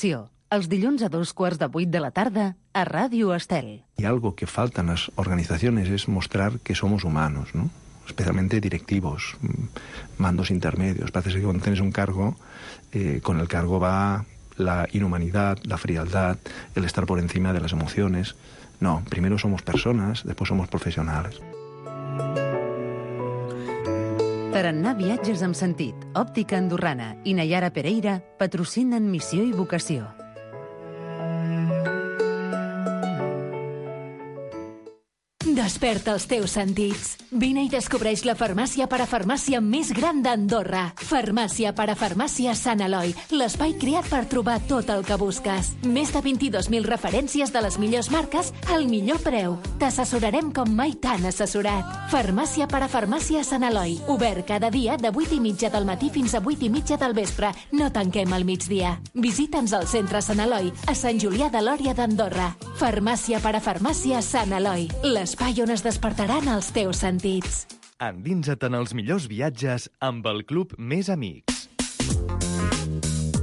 Educació, els dilluns a 7:15 de la tarda a Ràdio Estel. Y algo que falta en las organizaciones es mostrar que somos humanos, ¿no? Especialmente directivos, mandos intermedios. Parece que cuando tienes un cargo, con el cargo va la inhumanidad, la frialdad, el estar por encima de las emociones. No, primero somos personas, después somos profesionales. Tarannà Viatges amb Sentit, Òptica Andorrana i Nayara Pereira patrocinen Missió i Vocació. Desperta els teus sentits. Vine i descobreix la farmàcia parafarmàcia més gran d'Andorra. Farmàcia parafarmàcia Sant Eloi, l'espai creat per trobar tot el que busques. Més de 22.000 referències de les millors marques al millor preu. T'assessorarem com mai t'han assessorat. Farmàcia parafarmàcia Sant Eloi, obert cada dia de 8:30 del matí fins a 8:30 del vespre. No tanquem al migdia. Visita'ns al centre Sant Eloi, a Sant Julià de Lòria d'Andorra. Farmàcia parafarmàcia Sant Eloi, l'espai on es despertaran els teus sentits. Endinsa't en els millors viatges amb el Club Més Amics.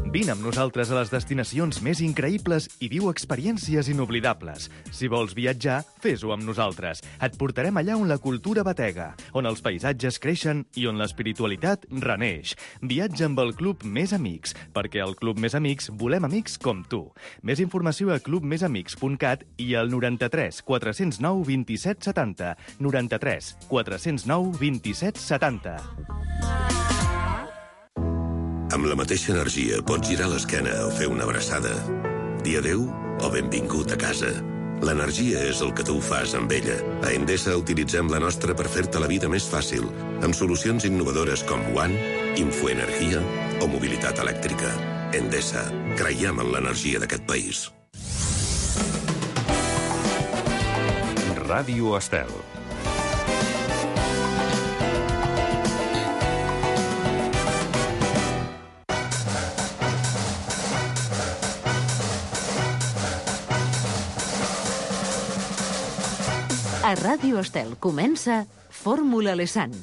Vine amb nosaltres a les destinacions més increïbles i viu experiències inoblidables. Si vols viatjar, fes-ho amb nosaltres. Et portarem allà on la cultura batega, on els paisatges creixen i on l'espiritualitat reneix. Viatja amb el Club Més Amics, perquè al Club Més Amics volem amics com tu. Més informació a clubmesamics.cat i al 93 409 27 70. 93 409 27 70. Amb la mateixa energia pots girar l'esquena o fer una abraçada. Dir adeu o benvingut a casa. L'energia és el que tu fas amb ella. A Endesa utilitzem la nostra per fer-te la vida més fàcil, amb solucions innovadores com One, Infoenergia o mobilitat elèctrica. Endesa, creiem en l'energia d'aquest país. Ràdio Estel. A Ràdio Estel comença Fórmula Lesan.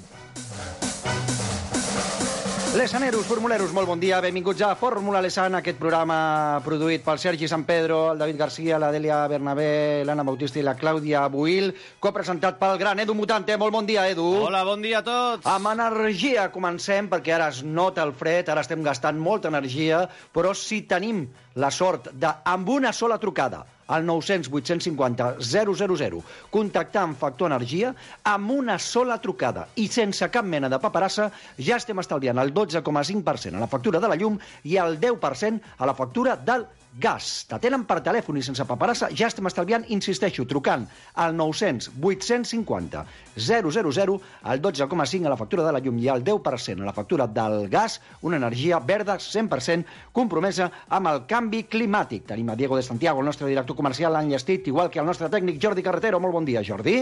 Lesaneros, formuleros, molt bon dia. Benvinguts a Fórmula Lesan, aquest programa produït pel Sergi San Pedro, el David Garcia, la Dèlia Bernabé, l'Anna Bautista i la Clàudia Buil, copresentat pel gran Edu Mutante. Molt bon dia, Edu. Hola, bon dia a tots. Amb energia comencem, perquè ara es nota el fred, ara estem gastant molta energia, però si tenim la sort de, amb una sola trucada, al 900 850 000, contactar amb Factor Energia, amb una sola trucada i sense cap mena de paperassa, ja estem estalviant el 12,5% a la factura de la llum i el 10% a la factura del gas. T'atenen per telèfon i sense paperassa, ja estem estalviant, insisteixo, trucant al 900 850 000, el 12,5% a la factura de la llum i el 10% a la factura del gas, una energia verda 100% compromesa amb el canvi climàtic. Tenim a Diego de Santiago, el nostre director comercial, l'enllestit, igual que el nostre tècnic Jordi Carretero. Molt bon dia, Jordi.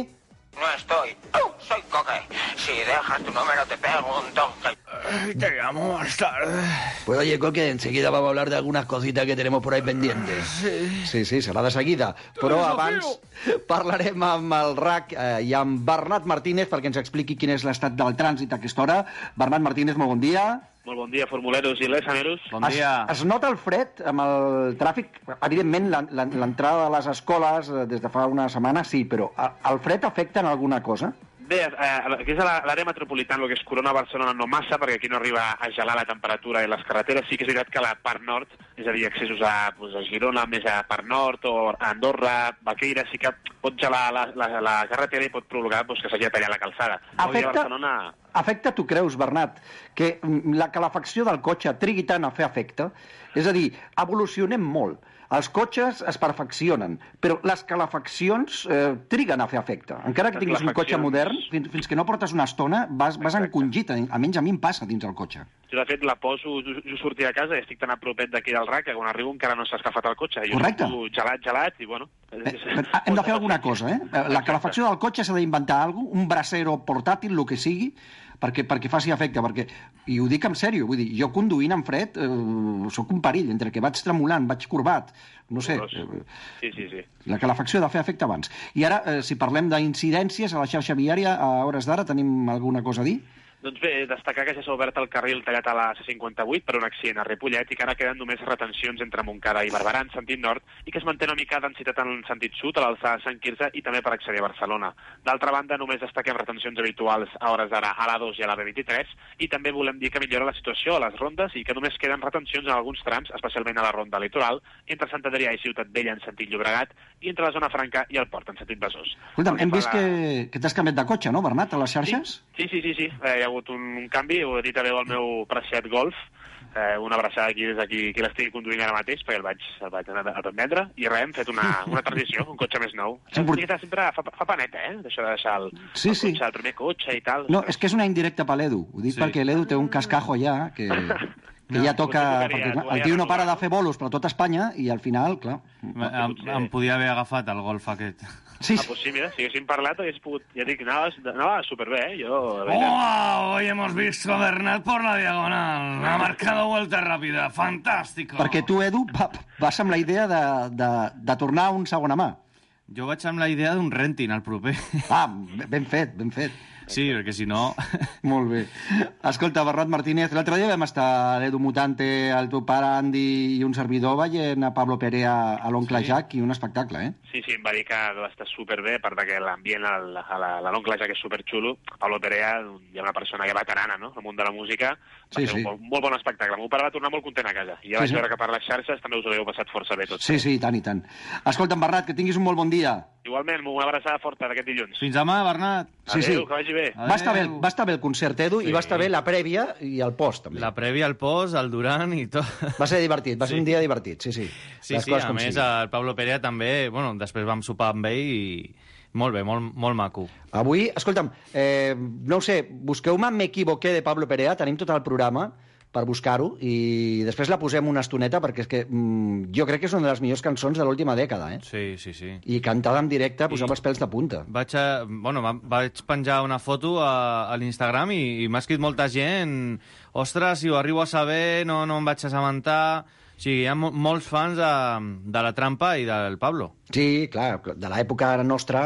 No estoy. Soy Coque. Si dejas tu número te pego un toque. Te llamo más tarde. Pues oye, Coque, enseguida vamos a hablar de algunas cositas que tenemos por ahí pendientes. Sí, serà de seguida. Però abans parlarem amb el RAC i amb Bernat Martínez perquè ens expliqui quin és l'estat del trànsit a aquesta hora. Bernat Martínez, molt bon dia. Molt bon dia, formuleros i lesaneros. Bon dia. Es nota el fred amb el tràfic? Evidentment, l'entrada de les escoles des de fa una setmana sí, però el fred afecta en alguna cosa? Bé, aquí és a l'àrea metropolitana, el que és Corona, Barcelona, no massa, perquè aquí no arriba a gelar la temperatura i les carreteres. Sí que és veritat que a la part nord, és a dir, accessos a Girona, més a part nord, o a Andorra, Baqueira, sí que pot gelar la carretera i pot provocar que s'hagi de tallar la calçada. Afecta, tu creus, Bernat, que la calefacció del cotxe trigui tant a fer efecte? És a dir, evolucionem molt. Els cotxes es perfeccionen, però les calefaccions triguen a fer efecte. Encara que tinguis un cotxe modern, fins que no portes una estona, vas encongit. Almenys a mi em passa dins el cotxe. Jo, de fet, la poso, jo sortir de casa i estic tan a propet d'aquí del RAC que quan arribo encara no s'ha escafat el cotxe. Correcte. Jo gelat, i bueno... Hem de fer alguna cosa, eh? La calefacció del cotxe s'ha d'inventar alguna cosa, un brasero portàtil, el que sigui, perquè faci efecte, i ho dic en sèrio, vull dir, jo conduint en fred sóc un perill, entre que vaig tremolant, vaig corbat, no sé. Sí. La calefacció ha de fer efecte abans. I ara, si parlem d'incidències a la xarxa viària, a hores d'ara tenim alguna cosa a dir? Doncs bé, destacar que ja s'ha obert el carril tallat a la C58 per un accident a Ripollet i que ara queden només retencions entre Montcada i Barberà en sentit nord i que es manté una mica densitat en sentit sud a l'alçada de Sant Quirze i també per accedir a Barcelona. D'altra banda, només destaquem retencions habituals a hores d'ara a l'A2 i a la B23 i també volem dir que millora la situació a les rondes i que només queden retencions en alguns trams, especialment a la ronda litoral, entre Sant Adrià i Ciutat Vella en sentit Llobregat i entre la zona franca i el port en sentit Besòs. Escolta'm, hem vist que t'has canviat de cotxe, no, Bernat, a les xarxes? Sí. Hi ha hagut un canvi, ho he dit també al meu preciat Golf, una abraçada aquí des d'aquí, que l'estigui conduint ara mateix, perquè el vaig anar a vendre, i res, hem fet una transició, un cotxe més nou. Sempre fa paneta, d'això de deixar el cotxe, el primer cotxe i tal. No, és que és una indirecta per l'Edu. Ho dic perquè l'Edu té un cascajo ja, que ja toca... El tio no para de fer bolos per tot Espanya, i al final, clar... Em podia haver agafat el Golf aquest. Sí. Pues sí, mira, si haguéssim parlat, hagués pogut... Ja dic, anava superbé, Hoy hemos visto a Bernat por la diagonal. Ha marcado vuelta rápida. Fantástico. Perquè tu, Edu, vas amb la idea de tornar a un segona mà. Jo vaig amb la idea d'un renting al proper. Ben fet. Sí, perquè si no... Molt bé. Escolta, Bernat Martínez, l'altre dia vam estar l'Edu Mutante, el teu pare Andy i un servidor veient a Pablo Perea a l'Oncle Jack, i un espectacle, Sí, em va dir que va estar superbé, a part que l'ambient a l'Oncle Jack és superxulo. Pablo Perea hi ha una persona que veterana, no?, al món de la música. Va ser un molt bon espectacle. El meu pare va tornar molt content a casa. I ja vaig veure que per les xarxes també us ho havíeu passat força bé tots. Sí, i tant. Escolta'm, Bernat, que tinguis un molt bon dia. Igualment, una abraçada forta d'aquest dilluns. Fins demà, Bernat. Adéu, que vagi bé. Va estar bé el concert, Edu, i va estar bé la prèvia i el post, també. La prèvia, el post, el durant i tot. Va ser divertit, va ser un dia divertit, sí. Sí, a més, el Pablo Perea també, després vam sopar amb ell i molt bé, molt maco. Avui, escolta'm, no ho sé, busqueu-me Me equivoqué de Pablo Perea, tenim tot el programa per buscar-ho, i després la posem una estoneta, perquè és que jo crec que és una de les millors cançons de l'última dècada, Sí. I cantada en directe posava els pèls de punta. Vaig penjar una foto a l'Instagram i m'ha escrit molta gent, ostres, si ho arribo a saber, no em vaig assabentar... O sigui, hi ha molts fans de La Trampa i del Pablo. Sí, clar, de l'època nostra,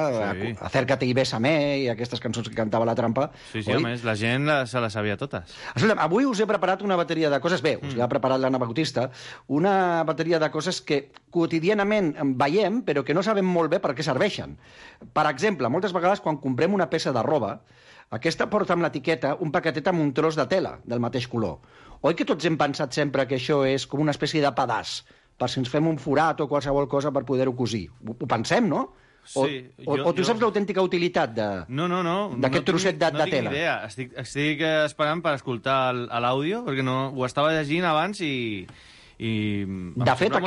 Acércate i bésame, i aquestes cançons que cantava La Trampa. Sí, a més, la gent se les sabia totes. Escolta'm, avui us he preparat una bateria de coses, us ha preparat l'Anna Bautista, una bateria de coses que quotidianament veiem, però que no sabem molt bé per què serveixen. Per exemple, moltes vegades quan comprem una peça de roba, aquesta porta amb l'etiqueta un paquetet amb un tros de tela del mateix color. Oi que tots hem pensat sempre que això és com una espècie de pedaç, per si ens fem un forat o qualsevol cosa per poder-ho cosir? Ho pensem, no? Sí. O tu saps l'autèntica utilitat d'aquest trosset de tela? No tinc idea. Estic esperant per escoltar l'àudio, perquè ho estava llegint abans i de fet,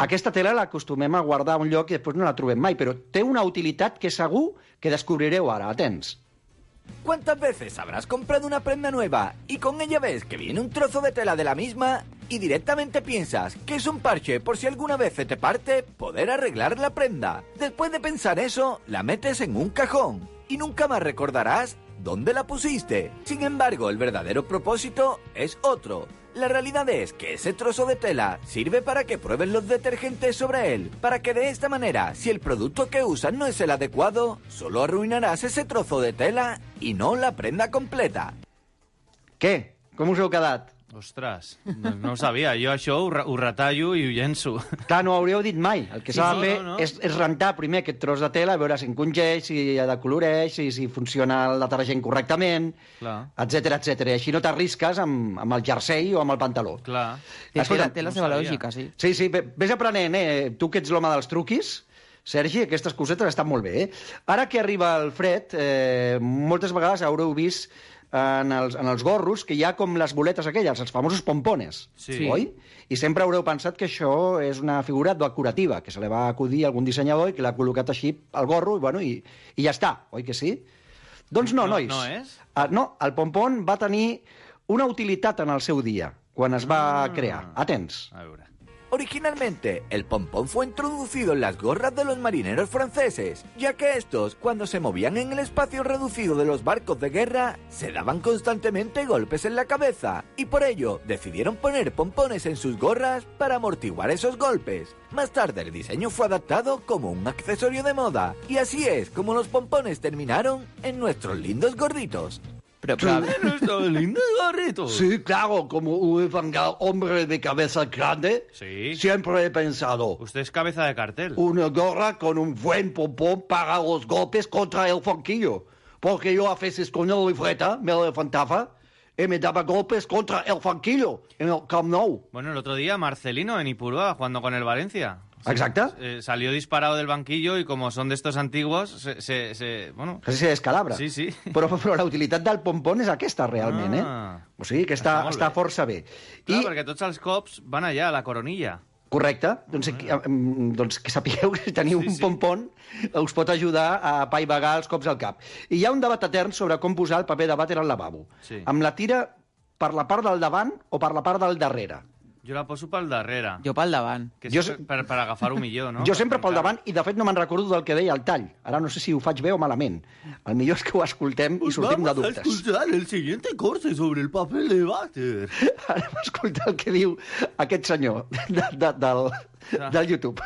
aquesta tela l'acostumem a guardar a un lloc i després no la trobem mai, però té una utilitat que segur que descobrireu ara. Atents. ¿Cuántas veces habrás comprado una prenda nueva y con ella ves que viene un trozo de tela de la misma y directamente piensas que es un parche por si alguna vez se te parte poder arreglar la prenda? Después de pensar eso, la metes en un cajón y nunca más recordarás dónde la pusiste. Sin embargo, el verdadero propósito es otro. La realidad es que ese trozo de tela sirve para que pruebes los detergentes sobre él, para que de esta manera, si el producto que usas no es el adecuado, solo arruinaràs ese trozo de tela i no la prenda completa. Què? Com us heu quedat? Ostres, no ho sabia. Jo això ho retallo i ho llenço. Clar, no ho hauríeu dit mai. El que s'ha de fer és rentar primer aquest tros de tela, a veure si encongeix, si decoloreix, si funciona el detergent correctament, etcètera. I així no t'arrisques amb el jersei o amb el pantaló. Clar. Té la seva lògica, sí. Sí, vés aprenent, tu que ets l'home dels truquis, Sergi, aquestes cosetes estan molt bé. Ara que arriba el fred, moltes vegades haureu vist en els gorros que hi ha com les boletes aquelles, els famosos pompones, oi? I sempre haureu pensat que això és una figura decorativa, que se li va acudir a algun dissenyador i que l'ha col·locat així al gorro i ja està, oi que sí? Doncs no, nois. No és? No, el pompon va tenir una utilitat en el seu dia, quan es va crear. Atents. A veure. Originalmente, el pompón fue introducido en las gorras de los marineros franceses, ya que estos, cuando se movían en el espacio reducido de los barcos de guerra, se daban constantemente golpes en la cabeza, y por ello decidieron poner pompones en sus gorras para amortiguar esos golpes. Más tarde el diseño fue adaptado como un accesorio de moda, y así es como los pompones terminaron en nuestros lindos gorritos. Nuestro lindo gorrito. Sí, claro, como un hombre de cabeza grande, siempre he pensado... Usted es cabeza de cartel. Una gorra con un buen pompón para los golpes contra el banquillo. Porque yo a veces con la libreta me levantaba y me daba golpes contra el banquillo en el Camp Nou. Bueno, el otro día Marcelino en Ipurúa jugando con el Valencia. Exacte. Salió disparado del banquillo y como son de estos antiguos, bueno... Casi se descalabra. Sí, sí. Però la utilitat del pompón és aquesta, realment, O sigui que està força bé. Clar, perquè tots els cops van allà, a la coronilla. Correcte. Doncs que sapigueu que si teniu un pompón us pot ajudar a apaivagar els cops al cap. I hi ha un debat etern sobre com posar el paper de vàter al lavabo. Sí. Amb la tira per la part del davant o per la part del darrere. Jo la poso pel darrere. Jo pel davant. Que és per agafar-ho millor, no? Jo sempre pel davant, i de fet no me'n recordo del que deia el tall. Ara no sé si ho faig bé o malament. El millor és que ho escoltem i sortim de dubtes. Vamos a escuchar el siguiente corte sobre el papel de váter. Ara hem escoltat el que diu aquest senyor del YouTube.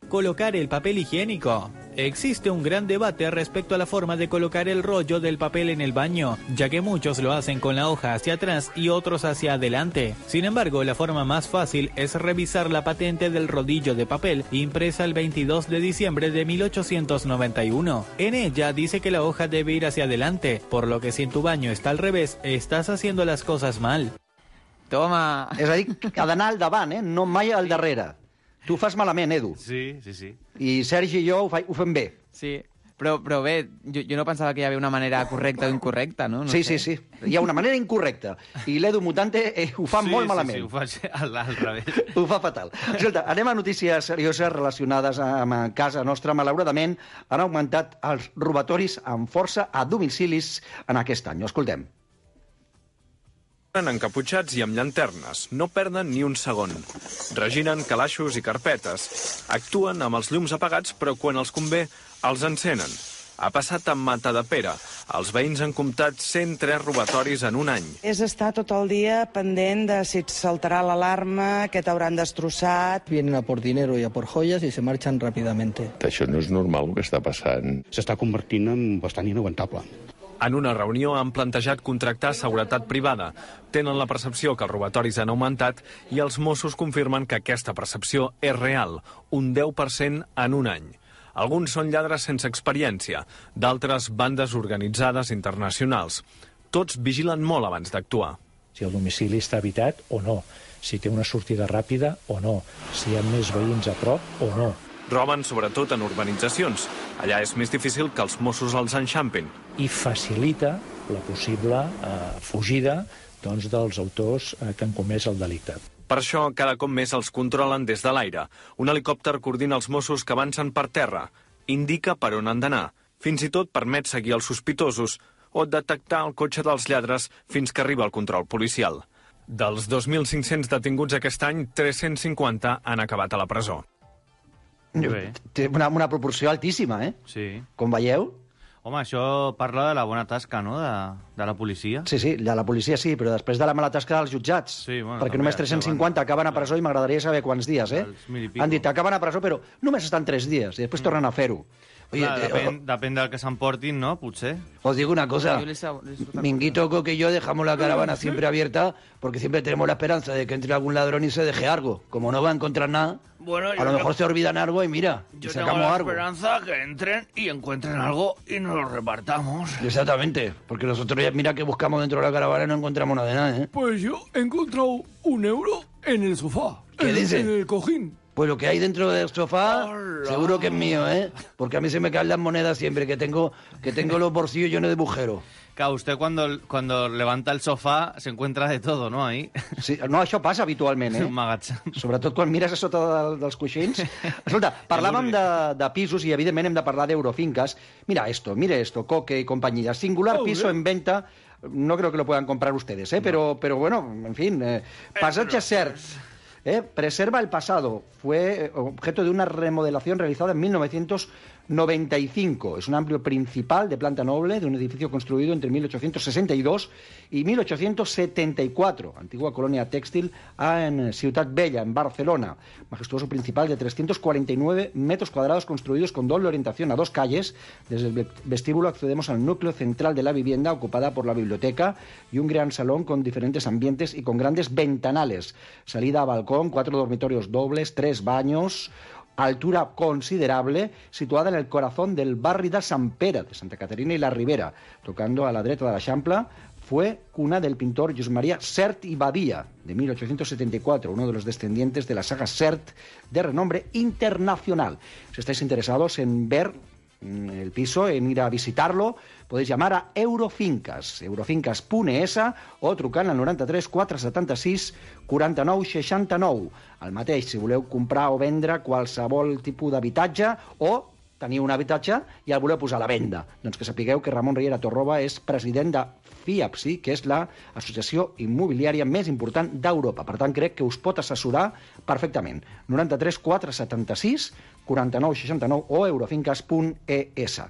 Colocar el papel higiénico. Existe un gran debate respecto a la forma de colocar el rollo del papel en el baño, ya que muchos lo hacen con la hoja hacia atrás y otros hacia adelante. Sin embargo, la forma más fácil es revisar la patente del rodillo de papel impresa el 22 de diciembre de 1891. En ella dice que la hoja debe ir hacia adelante, por lo que si en tu baño está al revés, estás haciendo las cosas mal. Toma! És a dir, ha d'anar al davant, no mai al darrere. Tu ho fas malament, Edu. Sí. I Sergi i jo ho fem bé. Sí, però bé, jo no pensava que hi havia una manera correcta o incorrecta, no? Sí. Hi ha una manera incorrecta. I l'Edu Mutante ho fa molt malament. Sí, ho faig al revés. Ho fa fatal. Escolta, anem a notícies serioses relacionades amb casa nostra. Malauradament, han augmentat els robatoris amb força a domicilis en aquest any. Escoltem. Encaputxats i amb llanternes, no perden ni un segon. Reginen calaixos i carpetes. Actuen amb els llums apagats, però quan els convé, els encenen. Ha passat amb Matadepera. Els veïns han comptat 103 robatoris en un any. És estar tot el dia pendent de si et saltarà l'alarma, que t'hauran destrossat. Vienen a por dinero y a por joyas y se marchan rápidamente. Això no és normal el que està passant. S'està convertint en bastant inaguantable. En una reunió han plantejat contractar seguretat privada. Tenen la percepció que els robatoris han augmentat i els Mossos confirmen que aquesta percepció és real, un 10% en un any. Alguns són lladres sense experiència, d'altres bandes organitzades internacionals. Tots vigilen molt abans d'actuar. Si el domicili està habitat o no, si té una sortida ràpida o no, si hi ha més veïns a prop o no. Roben sobretot en urbanitzacions. Allà és més difícil que els Mossos els enxampin. I facilita la possible fugida dels autors que han comès el delicte. Per això, cada cop més els controlen des de l'aire. Un helicòpter coordina els Mossos que avancen per terra. Indica per on han d'anar. Fins i tot permet seguir els sospitosos o detectar el cotxe dels lladres fins que arriba el control policial. Dels 2.500 detinguts aquest any, 350 han acabat a la presó. Té una proporció altíssima, Sí. Com veieu? Home, això parla de la bona tasca, no?, de la policia. Sí, de la policia sí, però després de la mala tasca dels jutjats. Sí, bueno, perquè només 350 acaben a presó i m'agradaria saber quants dies, Han dit, acaben a presó, però només estan 3 dies i després tornen a fer-ho. Oye, depèn del que s'emportin, ¿no? Potser. Os digo una cosa, Minguito, Coque y yo dejamos la caravana siempre abierta porque siempre tenemos la esperanza de que entre algún ladrón y se deje algo. Como no va a encontrar nada, bueno, a lo mejor se olvidan algo y mira, yo sacamos tengo la algo. esperanza que entren y encuentren algo y nos lo repartamos. Exactamente, porque nosotros ya mira que buscamos dentro de la caravana y no encontramos nada de nada, Pues yo he encontrado €1 en el sofá. ¿Qué dice? En el cojín. Pues lo que hay dentro del sofá, seguro que es mío, Porque a mí se me caen las monedas siempre, que tengo los bolsillos llenos de agujeros. Claro, usted cuando levanta el sofà se encuentra de todo, ¿no?, ahí. Sí, no, això passa habitualment, Un magatzem. Sobretot quan mires a sota dels coixins. Escolta, parlàvem de pisos i, evidentment, hem de parlar d'Eurofinques. Mire esto, Coque y compañía. Singular piso en venta. No creo que lo puedan comprar ustedes, pero bueno, en fin, passatge cert. Preserva el pasado. Fue objeto de una remodelación realizada en 1995. Es un amplio principal de planta noble de un edificio construido entre 1862 y 1874. Antigua colonia tèxtil en Ciutat Vella, en Barcelona. Majestuoso principal de 349 metros cuadrados construidos con doble orientación a dos calles. Desde el vestíbulo accedemos al núcleo central de la vivienda, ocupada por la biblioteca y un gran salón con diferentes ambientes y con grandes ventanales. Salida a balcón, 4 dormitorios dobles, 3 baños, altura considerable, situada en el corazón del barri de Sant Pere, de Santa Caterina y la Ribera, tocando a la dreta de l'Eixample. Fue cuna del pintor Josep María Sert y Badia, de 1874, uno de los descendientes de la saga Sert, de renombre internacional. Si estáis interesados en ver el piso, en ir a visitarlo, podéis llamar a Eurofincas, eurofincas.es, o trucant al 93 476 49 69. El mateix, si voleu comprar o vendre qualsevol tipus d'habitatge, o teniu un habitatge i el voleu posar a la venda. Doncs que sapigueu que Ramon Riera Torroba és president de FIAPSI, que és l'associació immobiliària més important d'Europa. Per tant, crec que us pot assessorar perfectament. 93 476 49 69 o eurofincas.es.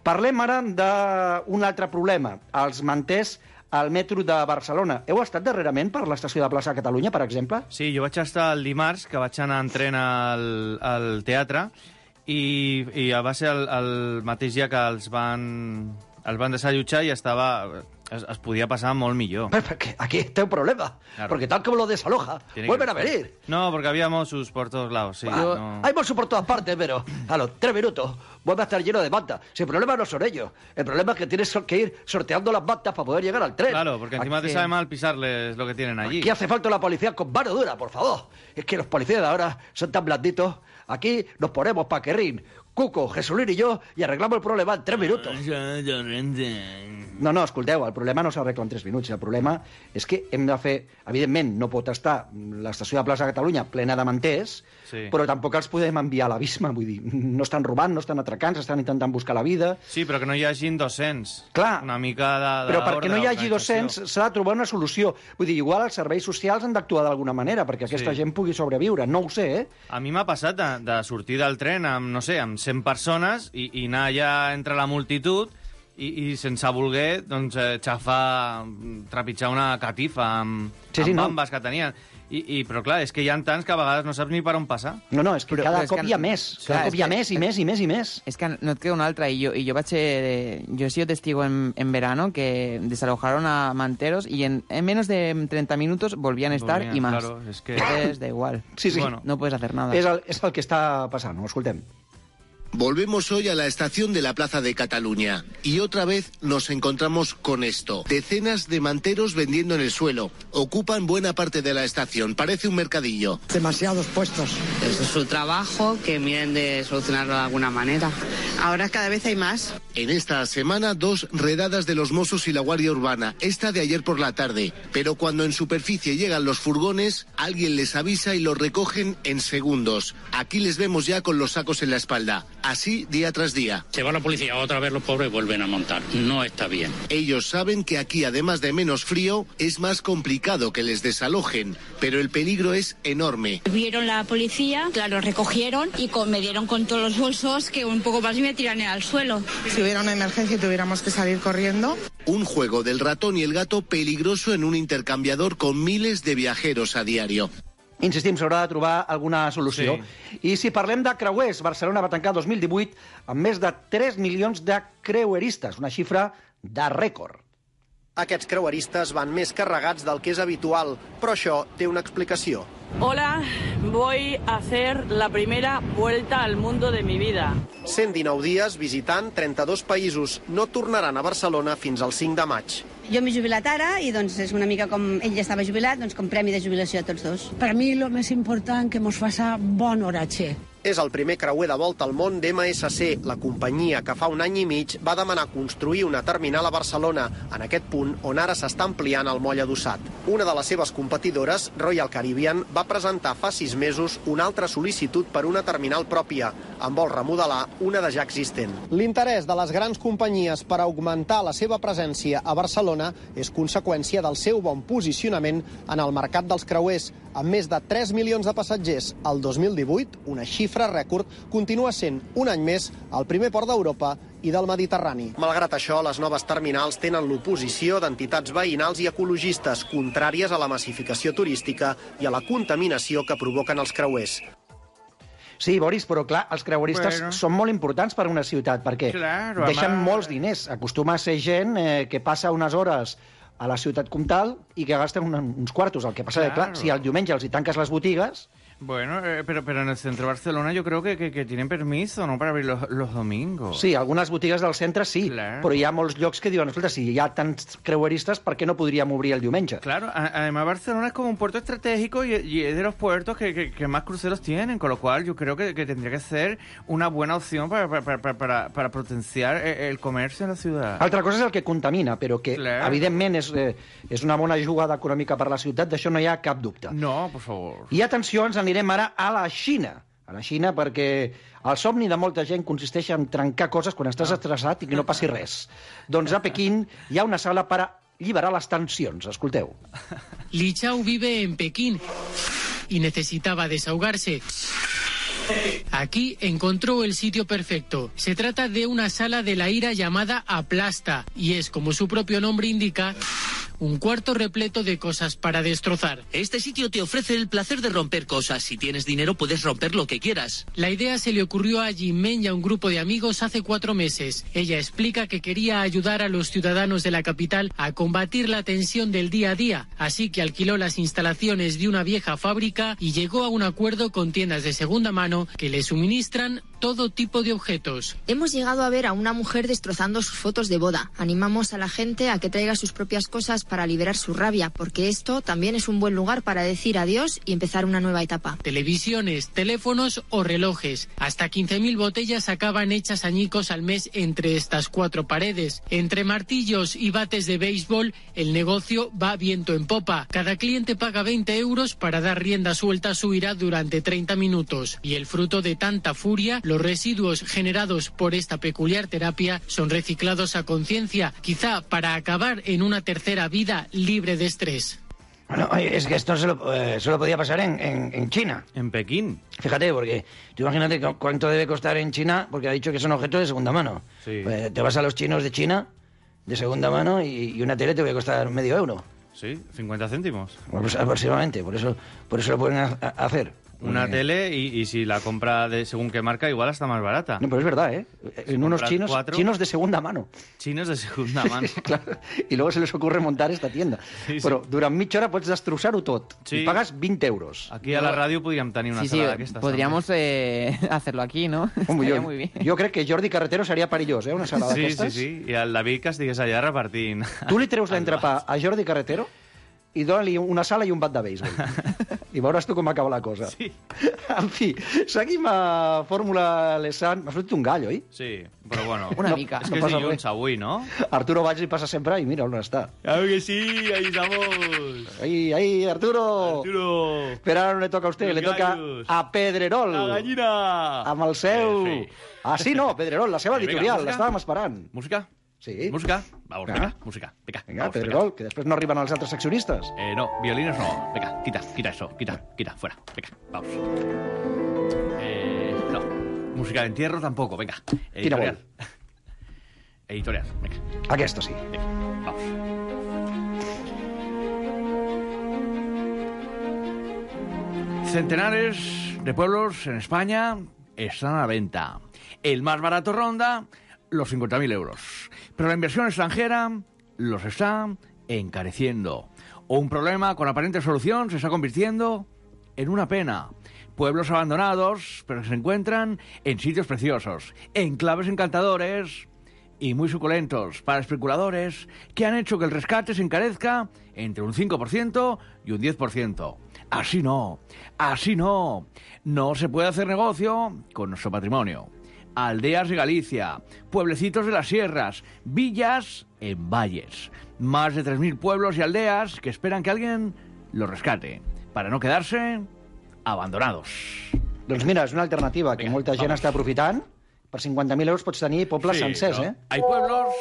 Parlem ara d'un altre problema, els manters al metro de Barcelona. Heu estat darrerament per l'estació de Plaça Catalunya, per exemple? Sí, jo vaig estar el dimarts, que vaig anar en tren al teatre, i va ser el mateix dia que els van desallotjar i es podia pasar molt millor. Perquè aquí té un problema, claro. Porque tal como lo desaloja, vuelven a venir. No, porque había Mossos por todos lados. Sí, no. Hay Mossos por todas partes, pero a los 3 minutos vuelve a estar lleno de mantas. Si el problema no son ellos, el problema es que tienes que ir sorteando las mantas para poder llegar al tren. Claro, porque encima te sabe mal pisarles lo que tienen allí. Aquí hace falta la policía con mano dura, por favor. Es que los policías de ahora son tan blanditos. Aquí nos ponemos paquerrín, Cuco, Jesulín i jo, i arreglamos el problema en 3 minuts. No, escolteu, el problema no s'arregla en 3 minuts. El problema és que hem de fer... Evidentment, no pot estar l'estació de Plaça Catalunya plena de manters, sí, però tampoc els podem enviar a l'abisme. Vull dir, no estan robant, no estan atracant, estan intentant buscar la vida. Sí, però que no hi hagin 200. Clar, una mica però perquè no hi hagi 200 s'ha de trobar una solució. Vull dir, igual els serveis socials han d'actuar d'alguna manera perquè aquesta gent pugui sobreviure. No ho sé, A mi m'ha passat de sortir del tren amb, no sé, amb 100 persones i anar allà entre la multitud i sense voler, doncs, trepitjar una catifa amb bambes que tenien. Però clar, és que hi ha tants que a vegades no saps ni per on passar. No, és que cada cop hi ha més. Cada cop hi ha més i més i més i més. És que no et queda una altra. Yo he sido testigo en verano que desalojaron a manteros y en menos de 30 minutos volvían a estar y más. Claro, es que... Entonces, da igual. Sí. Bueno, no puedes hacer nada. És el que està passant, ho escoltem. Volvemos hoy a la estación de la Plaza de Cataluña y otra vez nos encontramos con esto. Decenas de manteros vendiendo en el suelo. Ocupan buena parte de la estación. Parece un mercadillo. Demasiados puestos. Eso es su trabajo, que miren de solucionarlo de alguna manera. Ahora cada vez hay más. En esta semana 2 redadas de los Mossos y la Guardia Urbana. Esta de ayer por la tarde. Pero cuando en superficie llegan los furgones, alguien les avisa y los recogen en segundos. Aquí les vemos ya con los sacos en la espalda. Así día tras día. Se va la policía, otra vez los pobres vuelven a montar. No está bien. Ellos saben que aquí, además de menos frío, es más complicado que les desalojen, pero el peligro es enorme. Vieron la policía, claro, recogieron y me dieron con todos los bolsos que un poco más me tiran al suelo. Si hubiera una emergencia y tuviéramos que salir corriendo. Un juego del ratón y el gato peligroso en un intercambiador con miles de viajeros a diario. Insistim, s'haurà de trobar alguna solució. Sí. I si parlem de creuers, Barcelona va tancar 2018 amb més de 3 milions de creueristes, una xifra de rècord. Aquests creueristes van més carregats del que és habitual, però això té una explicació. Hola, voy a hacer la primera vuelta al mundo de mi vida. 119 dies visitant 32 països. No tornaran a Barcelona fins al 5 de maig. Jo m'he jubilat ara i doncs és una mica com ell ja estava jubilat, doncs com premi de jubilació a tots dos. Per a mi el més important que mos faça bon oratge. És el primer creuer de volta al món d'MSC, la companyia que fa un any i mig va demanar construir una terminal a Barcelona, en aquest punt on ara s'està ampliant el moll adossat. Una de les seves competidores, Royal Caribbean, va presentar fa 6 mesos una altra sol·licitud per una terminal pròpia, en vol remodelar una de ja existent. L'interès de les grans companyies per augmentar la seva presència a Barcelona és conseqüència del seu bon posicionament en el mercat dels creuers. Amb més de 3 milions de passatgers al 2018, una xifra rècord, continua sent un any més el primer port d'Europa i del Mediterrani. Malgrat això, les noves terminals tenen l'oposició d'entitats veïnals i ecologistes contràries a la massificació turística i a la contaminació que provoquen els creuers. Sí, Boris, però clar, els creueristes són molt importants per a una ciutat, perquè deixen molts diners. Acostuma a ser gent que passa unes hores a la ciutat comtal i que gasten uns quartos. El que passa que, clar, si el diumenge els hi tanques les botigues... Bueno, pero en el centro de Barcelona yo creo que tienen permiso, ¿no?, para abrir los domingos. Sí, algunes botigues del centre sí, però hi ha molts llocs que diuen, escolta, si hi ha tants creueristes, per què no podríem obrir el diumenge? Claro, además Barcelona es como un puerto estratégico y es de los puertos que más cruceros tienen, con lo cual yo creo que tendría que ser una buena opción para potenciar el comercio en la ciudad. Altra cosa és el que contamina, però que evidentment és una bona jugada econòmica per la ciutat, d'això no hi ha cap dubte. No, por favor. I atenció, ens anirem ara a la Xina. A la Xina perquè el somni de molta gent consisteix en trencar coses quan estàs estressat i que no passi res. Doncs a Pequín hi ha una sala per alliberar les tensions. Escolteu. Li Chao vive en Pekín y necesitaba desahogarse. Aquí encontró el sitio perfecto. Se trata de una sala de la ira llamada Aplasta y es, como su propio nombre indica, un cuarto repleto de cosas para destrozar. Este sitio te ofrece el placer de romper cosas. Si tienes dinero puedes romper lo que quieras. La idea se le ocurrió a Jinmen y a un grupo de amigos hace 4 meses. Ella explica que quería ayudar a los ciudadanos de la capital a combatir la tensión del día a día, así que alquiló las instalaciones de una vieja fábrica y llegó a un acuerdo con tiendas de segunda mano que le suministran todo tipo de objetos. Hemos llegado a ver a una mujer destrozando sus fotos de boda. Animamos a la gente a que traiga sus propias cosas para liberar su rabia, porque esto también es un buen lugar para decir adiós y empezar una nueva etapa. Televisiones, teléfonos o relojes. Hasta 15.000 botellas acaban hechas añicos al mes entre estas 4 paredes. Entre martillos y bates de béisbol, el negocio va viento en popa. Cada cliente paga 20 euros para dar rienda suelta a su ira durante 30 minutos. Y el fruto de tanta furia, los residuos generados por esta peculiar terapia son reciclados a conciencia, quizá para acabar en una tercera vida libre de estrés. Bueno, es que esto solo podía pasar en China. En Pekín. Fíjate, porque tú imagínate cuánto debe costar en China, porque ha dicho que son objetos de segunda mano. Sí. Te vas a los chinos de China, de segunda mano, y una tele te va a costar medio euro. Sí, 50 céntimos. Pues aproximadamente, por eso lo pueden hacer. Una tele y si la compra de según qué marca igual está más barata. No, pero es verdad, ¿eh? En unos chinos de segunda mano. Chinos de segunda mano. Claro. Y luego se les ocurre montar esta tienda. Sí, però durant mitja hora pots destrossar-ho tot. Sí. Y pagas 20 euros. Aquí a la radio podríem tenir una sala d'aquestes. Podríamos hacerlo aquí, ¿no? Estaría muy bien. Jo crec que Jordi Carretero seria perillós, una sala d'aquestes. Sí. I el David que estigués allà repartint. Tu li treus l'entrepà a Jordi Carretero i dona-li una sala i un bat de béisbol. I veuràs tu com acaba la cosa. Sí. En fi, seguim a Fórmula Lesan. M'ha sortit un gall, oi? Sí, però bueno. Una mica. És que és dilluns avui, no? Arturo Valls hi passa sempre i mira on està. Claro que sí, ahí estamos. Ahí, Arturo. Però ara no le toca a usted, le toca a Pedrerol. La gallina. Amb el seu... Ah, sí, no, Pedrerol, la seva editorial, l'estàvem esperant. Música? Sí. Música? Vamos, venga, música. Venga, Pedrerol, que després no arriben els altres accionistes. No, violines no. Venga, quita eso, quita, fuera. Venga, vamos. No, música de entierro tampoco, venga. Editorial. Editorial, venga. Aquesta sí. Venga, vamos. Centenares de pueblos en España están a la venta. El más barato ronda los 50.000 euros. Pero la inversión extranjera los está encareciendo. Un problema con aparente solución se está convirtiendo en una pena. Pueblos abandonados, pero que se encuentran en sitios preciosos, enclaves encantadores y muy suculentos para especuladores que han hecho que el rescate se encarezca entre un 5% y un 10%. Así no, así no. No se puede hacer negocio con nuestro patrimonio. Aldeas de Galicia, pueblecitos de las sierras, villas en valles. Más de 3.000 pueblos y aldeas que esperan que alguien los rescate, para no quedarse abandonados. Doncs mira, és una alternativa que molta gent està aprofitant. Per 50.000 euros pots tenir pobles sencers, ¿eh? Hay pueblos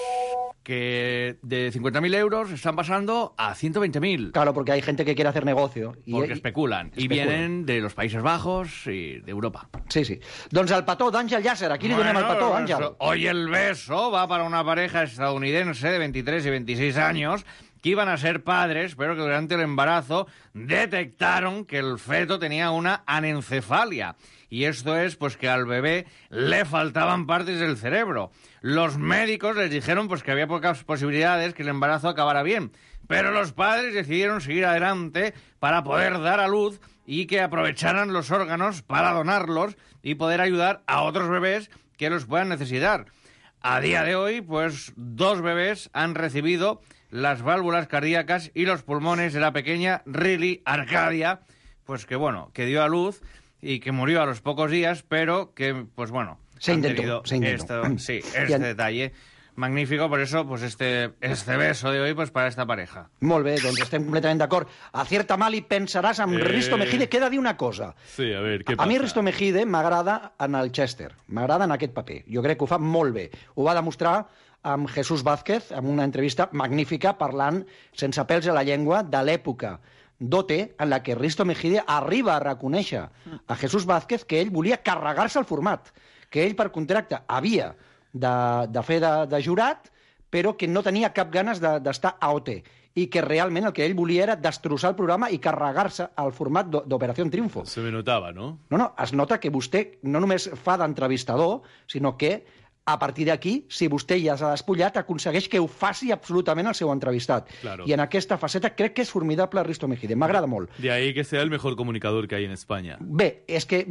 que de 50.000 euros están pasando a 120.000. Claro, porque hay gente que quiere hacer negocio. Porque especulan. Y vienen de los Países Bajos y de Europa. Sí, sí. Doncs el petó d'Àngel Llàcer. Aquí li donem el petó, Àngel. Hoy el beso va para una pareja estadounidense de 23 y 26 años que iban a ser padres, pero que durante el embarazo detectaron que el feto tenía una anencefalia. Y esto es pues que al bebé le faltaban partes del cerebro. Los médicos les dijeron pues que había pocas posibilidades que el embarazo acabara bien, pero los padres decidieron seguir adelante para poder dar a luz y que aprovecharan los órganos para donarlos y poder ayudar a otros bebés que los puedan necesitar. A día de hoy, pues 2 bebés han recibido las válvulas cardíacas y los pulmones de la pequeña Riley Arcadia, pues que bueno, que dio a luz y que murió a los pocos días, pero que, pues bueno, se intentó. Este detalle magnífico, por eso, pues este beso de hoy, pues para esta pareja. Molt bé, doncs estem completament d'acord. Acierta mal i pensaràs amb Risto Mejide. Queda dir una cosa. Sí, a ver, què passa? A mi Risto Mejide m'agrada en el Chester, m'agrada en aquest paper. Jo crec que ho fa molt bé. Ho va demostrar amb Jesús Vázquez, en una entrevista magnífica, parlant sense pèls a la llengua de l'època d'OT, en la que Risto Mejide arriba a reconèixer a Jesús Vázquez que ell volia carregar-se el format, que ell per contracte havia de fer de jurat, però que no tenia cap ganes d'estar a OT, i que realment el que ell volia era destrossar el programa i carregar-se al format d'Operació Triunfo. Se me notava, no? No, es nota que vostè no només fa d'entrevistador, sinó que a partir d'aquí, si vostè ja s'ha despullat, aconsegueix que ho faci absolutament el seu entrevistat. Claro. I en aquesta faceta crec que és formidable Risto Mejide. M'agrada molt. De ahí que sea el mejor comunicador que hay en España. Bé, és que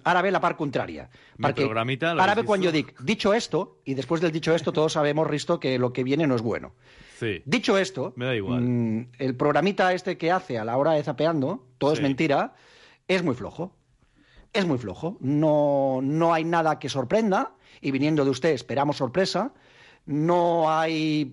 ara ve la part contrària. Perquè programita, ara ve quan jo dic, dicho esto, y después del dicho esto, todos sabemos, Risto, que lo que viene no es bueno. Sí. Dicho esto, me da igual. El programita este que hace a la hora de Zapeando, todo es mentira, es muy flojo. Es muy flojo. No hay nada que sorprenda. Y viniendo de usted esperamos sorpresa. No hay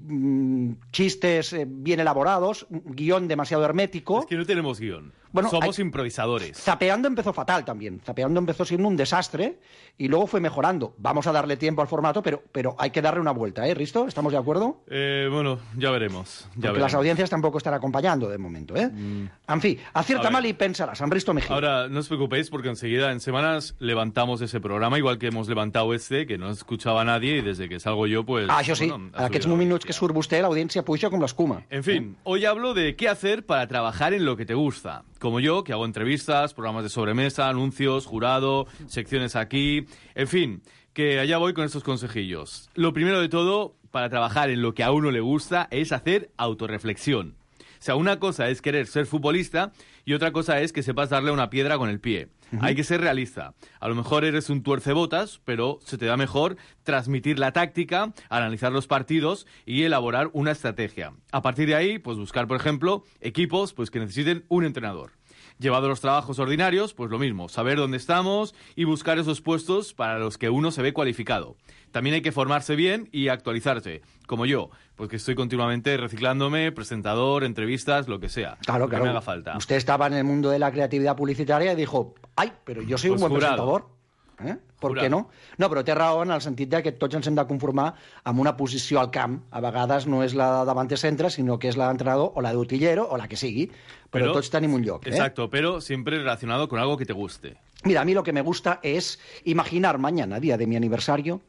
chistes bien elaborados, guión demasiado hermético. Es que no tenemos guión. Bueno, somos improvisadores. Zapeando empezó fatal también. Zapeando empezó siendo un desastre y luego fue mejorando. Vamos a darle tiempo al formato, pero hay que darle una vuelta, ¿eh, Risto? ¿Estamos de acuerdo? Bueno, ya veremos. Porque las audiencias tampoco están acompañando de momento, ¿eh? En fin, acierta mal y pensarás, en Risto Mejide. Ahora, no os preocupéis porque enseguida, en semanas, levantamos ese programa, igual que hemos levantado que no escuchaba nadie y desde que salgo yo, pues... Això sí, bueno, aquests minuts que surt vostè, l'audiència puja com l'escuma. En fin, hoy hablo de qué hacer para trabajar en lo que te gusta. Como yo, que hago entrevistas, programas de sobremesa, anuncios, jurado, secciones aquí... En fin, que allá voy con estos consejillos. Lo primero de todo, para trabajar en lo que a uno le gusta, es hacer autorreflexión. O sea, una cosa es querer ser futbolista y otra cosa es que sepas darle una piedra con el pie. Hay que ser realista. A lo mejor eres un tuercebotas, pero se te da mejor transmitir la táctica, analizar los partidos y elaborar una estrategia. A partir de ahí, pues buscar, por ejemplo, equipos pues que necesiten un entrenador. Llevado a los trabajos ordinarios, pues lo mismo, saber dónde estamos y buscar esos puestos para los que uno se ve cualificado. También hay que formarse bien y actualizarse, como yo, pues que estoy continuamente reciclándome, presentador, entrevistas, lo que sea. Claro, lo que me haga falta. Usted estaba en el mundo de la creatividad publicitaria y dijo, ay, pero yo soy un buen presentador. Per què no? No, però té raó en el sentit de que tots ens hem de conformar amb una posició al camp. A vegades no és la de davanter centre, sinó que és la d'entrenador o la d'utillero o la que sigui. Però tots tenim un lloc. Exacto, pero siempre relacionado con algo que te guste. Mira, a mí lo que me gusta es imaginar mañana, día de mi aniversario,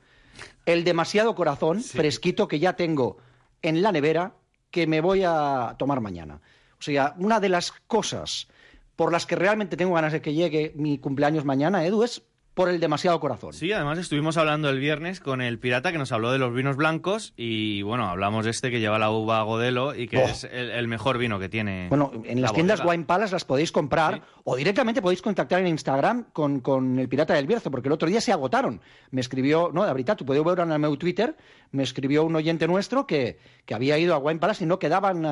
el demasiado corazón fresquito que ya tengo en la nevera que me voy a tomar mañana. O sea, una de las cosas por las que realmente tengo ganas de que llegue mi cumpleaños mañana, Edu, es por el demasiado corazón. Sí, además estuvimos hablando el viernes con el pirata que nos habló de los vinos blancos y, bueno, hablamos de este que lleva la uva Godelo y que es el mejor vino que tiene. Bueno, en las tiendas Wine Palace las podéis comprar o directamente podéis contactar en Instagram con el pirata del Bierzo, porque el otro día se agotaron. Me escribió, no, de verdad, tú podeu veure en el meu Twitter, me escribió un oyente nuestro que había ido a Wine Palace y no quedaban,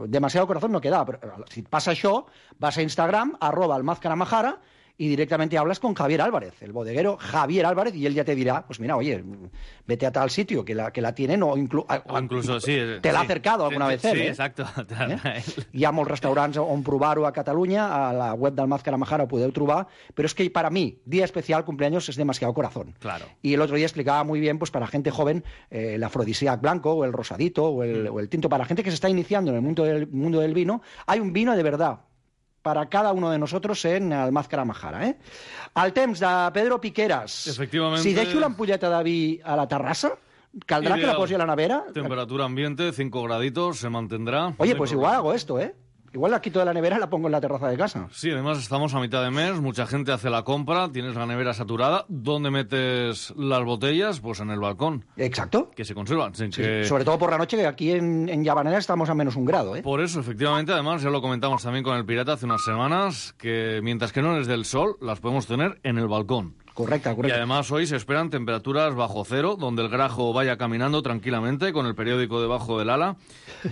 demasiado corazón no quedaba. Pero si pasa això, vas a Instagram, @almazcaramajara, y directamente hablas con Javier Álvarez, el bodeguero Javier Álvarez, y él ya te dirá, pues mira, oye, vete a tal sitio que la tienen o incluso sí, te l'ha acercado alguna vez él. Sí, exacto. Hi ha molts restaurants on provar-ho a Catalunya, a la web del Mazcaramajara ho podeu trobar, pero es que para mí, día especial, cumpleaños, es demasiado corazón. Claro. Y el otro día explicaba muy bien, pues para gente joven, el afrodisíac blanco o el rosadito o el tinto. Para gente que se está iniciando en el mundo del vino, hay un vino de verdad para cada uno de nosotros en el Mazcaramajara. El temps de Pedro Piqueras. Efectivamente. Si deixo l'ampolleta de vi a la terrassa, ¿caldrá que la posi a la nevera? Temperatura ambiente, 5 graditos, se mantendrá. Oye, pues igual hago esto, Igual la quito de la nevera y la pongo en la terraza de casa. Sí, además estamos a mitad de mes, mucha gente hace la compra, tienes la nevera saturada. ¿Dónde metes las botellas? Pues en el balcón. Exacto. Que se conservan. Sin Sí, que... sobre todo por la noche, que aquí en Llavanera estamos a menos 1 grado. Por eso, efectivamente, además, ya lo comentamos también con el pirata hace unas semanas, que mientras que no les dé el sol, las podemos tener en el balcón. Correcta. Y además hoy se esperan temperaturas bajo cero, donde el grajo vaya caminando tranquilamente con el periódico debajo del ala,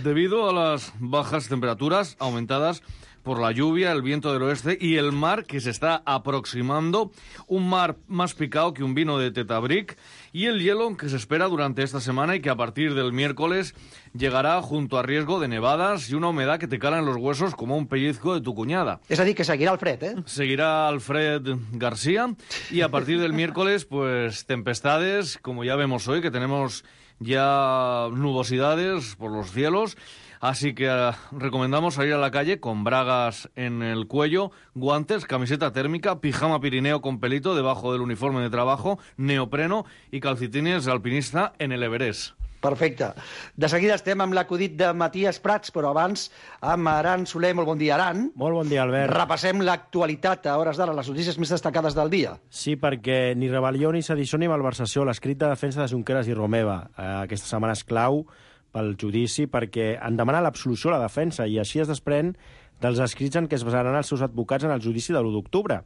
debido a las bajas temperaturas aumentadas por la lluvia, el viento del oeste y el mar que se está aproximando, un mar más picado que un vino de Tetabric, y el hielo que se espera durante esta semana y que a partir del miércoles llegará junto a riesgo de nevadas y una humedad que te cala en los huesos como un pellizco de tu cuñada. Es decir, que seguirá Alfred, Seguirá Alfred García y a partir del miércoles, pues tempestades, como ya vemos hoy, que tenemos ya nubosidades por los cielos. Así que recomendamos salir a la calle con bragas en el cuello, guantes, camiseta térmica, pijama pirineo con pelito debajo del uniforme de trabajo, neopreno i calcetines alpinista en el Everest. Perfecte. De seguida estem amb l'acudit de Matías Prats, però abans amb Aran Soler. Molt bon dia, Aran. Molt bon dia, Albert. Repassem l'actualitat a hores d'ara, les notícies més destacades del dia. Sí, perquè ni rebel·lió, ni sedició, ni malversació. L'escrit de defensa de Junqueras i Romeva aquesta setmana és clau pel judici, perquè han demanat l'absolució a la defensa, i així es desprèn dels escrits en què es basaran els seus advocats en el judici de l'1 d'octubre.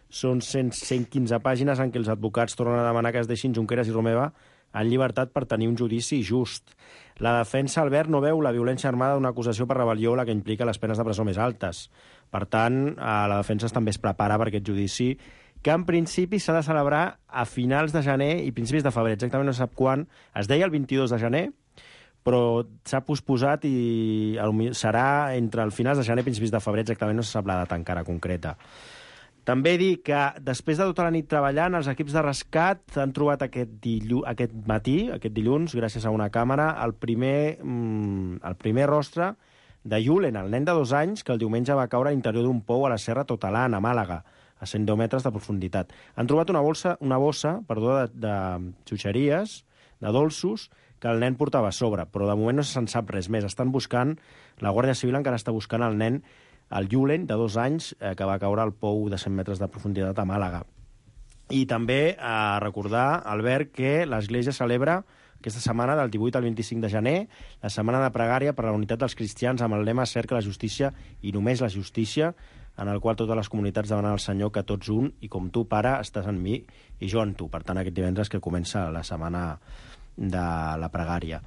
Són 115 pàgines en què els advocats tornen a demanar que es deixin Junqueras i Romeva en llibertat per tenir un judici just. La defensa, Albert, no veu la violència armada d'una acusació per rebel·lió la que implica les penes de presó més altes. Per tant, la defensa també es prepara per aquest judici, que en principi s'ha de celebrar a finals de gener i principis de febrer. Exactament no se sap quan. Es deia el 22 de gener, però s'ha posposat i serà entre el finals de gener i principis de febrer, exactament no se sap la data encara concreta. També dir que després de tota la nit treballant, els equips de rescat han trobat aquest dilluns, gràcies a una càmera, el primer rostre de Julen, el nen de 2 anys, que el diumenge va caure a l'interior d'un pou a la Serra Totalan, a Màlaga, a 110 metres de profunditat. Han trobat una bossa de xuxeries, de dolços, que el nen portava a sobre, però de moment no se'n sap res més. Estan buscant, la Guàrdia Civil encara està buscant el nen, el Julen, de 2 anys, que va caure al pou de 100 metres de profunditat a Màlaga. I també a recordar, Albert, que l'Església celebra aquesta setmana, del 18 al 25 de gener, la setmana de pregària per a la unitat dels cristians amb el lema Cerca la justícia i només la justícia, en el qual totes les comunitats demanen al Senyor que tots un, i com tu, Pare, estàs en mi i jo en tu. Per tant, aquest divendres que comença la setmana de la pregària.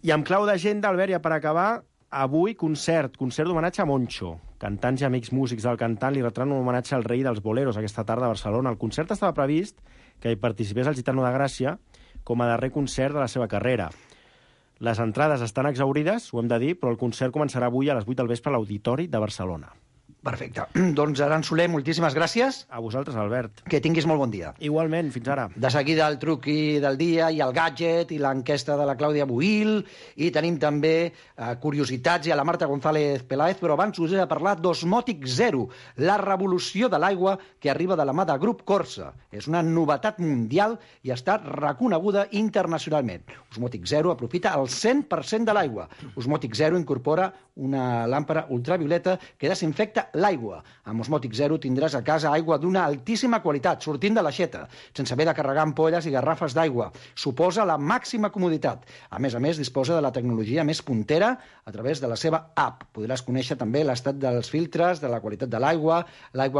I amb clau d'agenda, Albert, ja per acabar, avui concert d'homenatge a Moncho. Cantants i amics músics del cantant li retran un homenatge al rei dels boleros aquesta tarda a Barcelona. El concert estava previst que hi participés el Gitano de Gràcia com a darrer concert de la seva carrera. Les entrades estan exhaurides, ho hem de dir, però el concert començarà avui a les 8 del vespre a l'Auditori de Barcelona. Perfecte. Doncs, Aran Soler, moltíssimes gràcies. A vosaltres, Albert. Que tinguis molt bon dia. Igualment, fins ara. De seguida el truqui del dia i el gadget i l'enquesta de la Clàudia Buil, i tenim també curiositats i a la Marta González Peláez, però abans us he de parlar d'Osmòtic Zero, la revolució de l'aigua que arriba de la mà de Grup Corsa. És una novetat mundial i està reconeguda internacionalment. Osmòtic Zero aprofita el 100% de l'aigua. Osmòtic Zero incorpora una làmpara ultravioleta que desinfecta l'aigua. Amb Osmòtic Zero tindràs a casa aigua d'una altíssima qualitat, sortint de l'aixeta, sense haver de carregar ampolles i garrafes d'aigua. Suposa la màxima comoditat. A més, disposa de la tecnologia més puntera a través de la seva app. Podràs conèixer també l'estat dels filtres, de la qualitat de l'aigua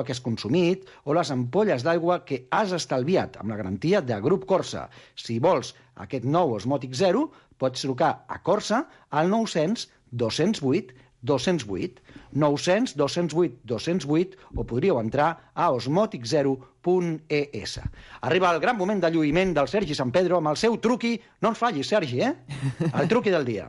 que has consumit o les ampolles d'aigua que has estalviat, amb la garantia de Grup Corsa. Si vols aquest nou Osmòtic Zero, pots trucar a Corsa al 900 208 208, 900 208 208, o podríeu entrar a osmotic0.es. Arriba el gran moment de lluïment del Sergi San Pedro amb el seu truqui. No ens fallis, Sergi, el truqui del día.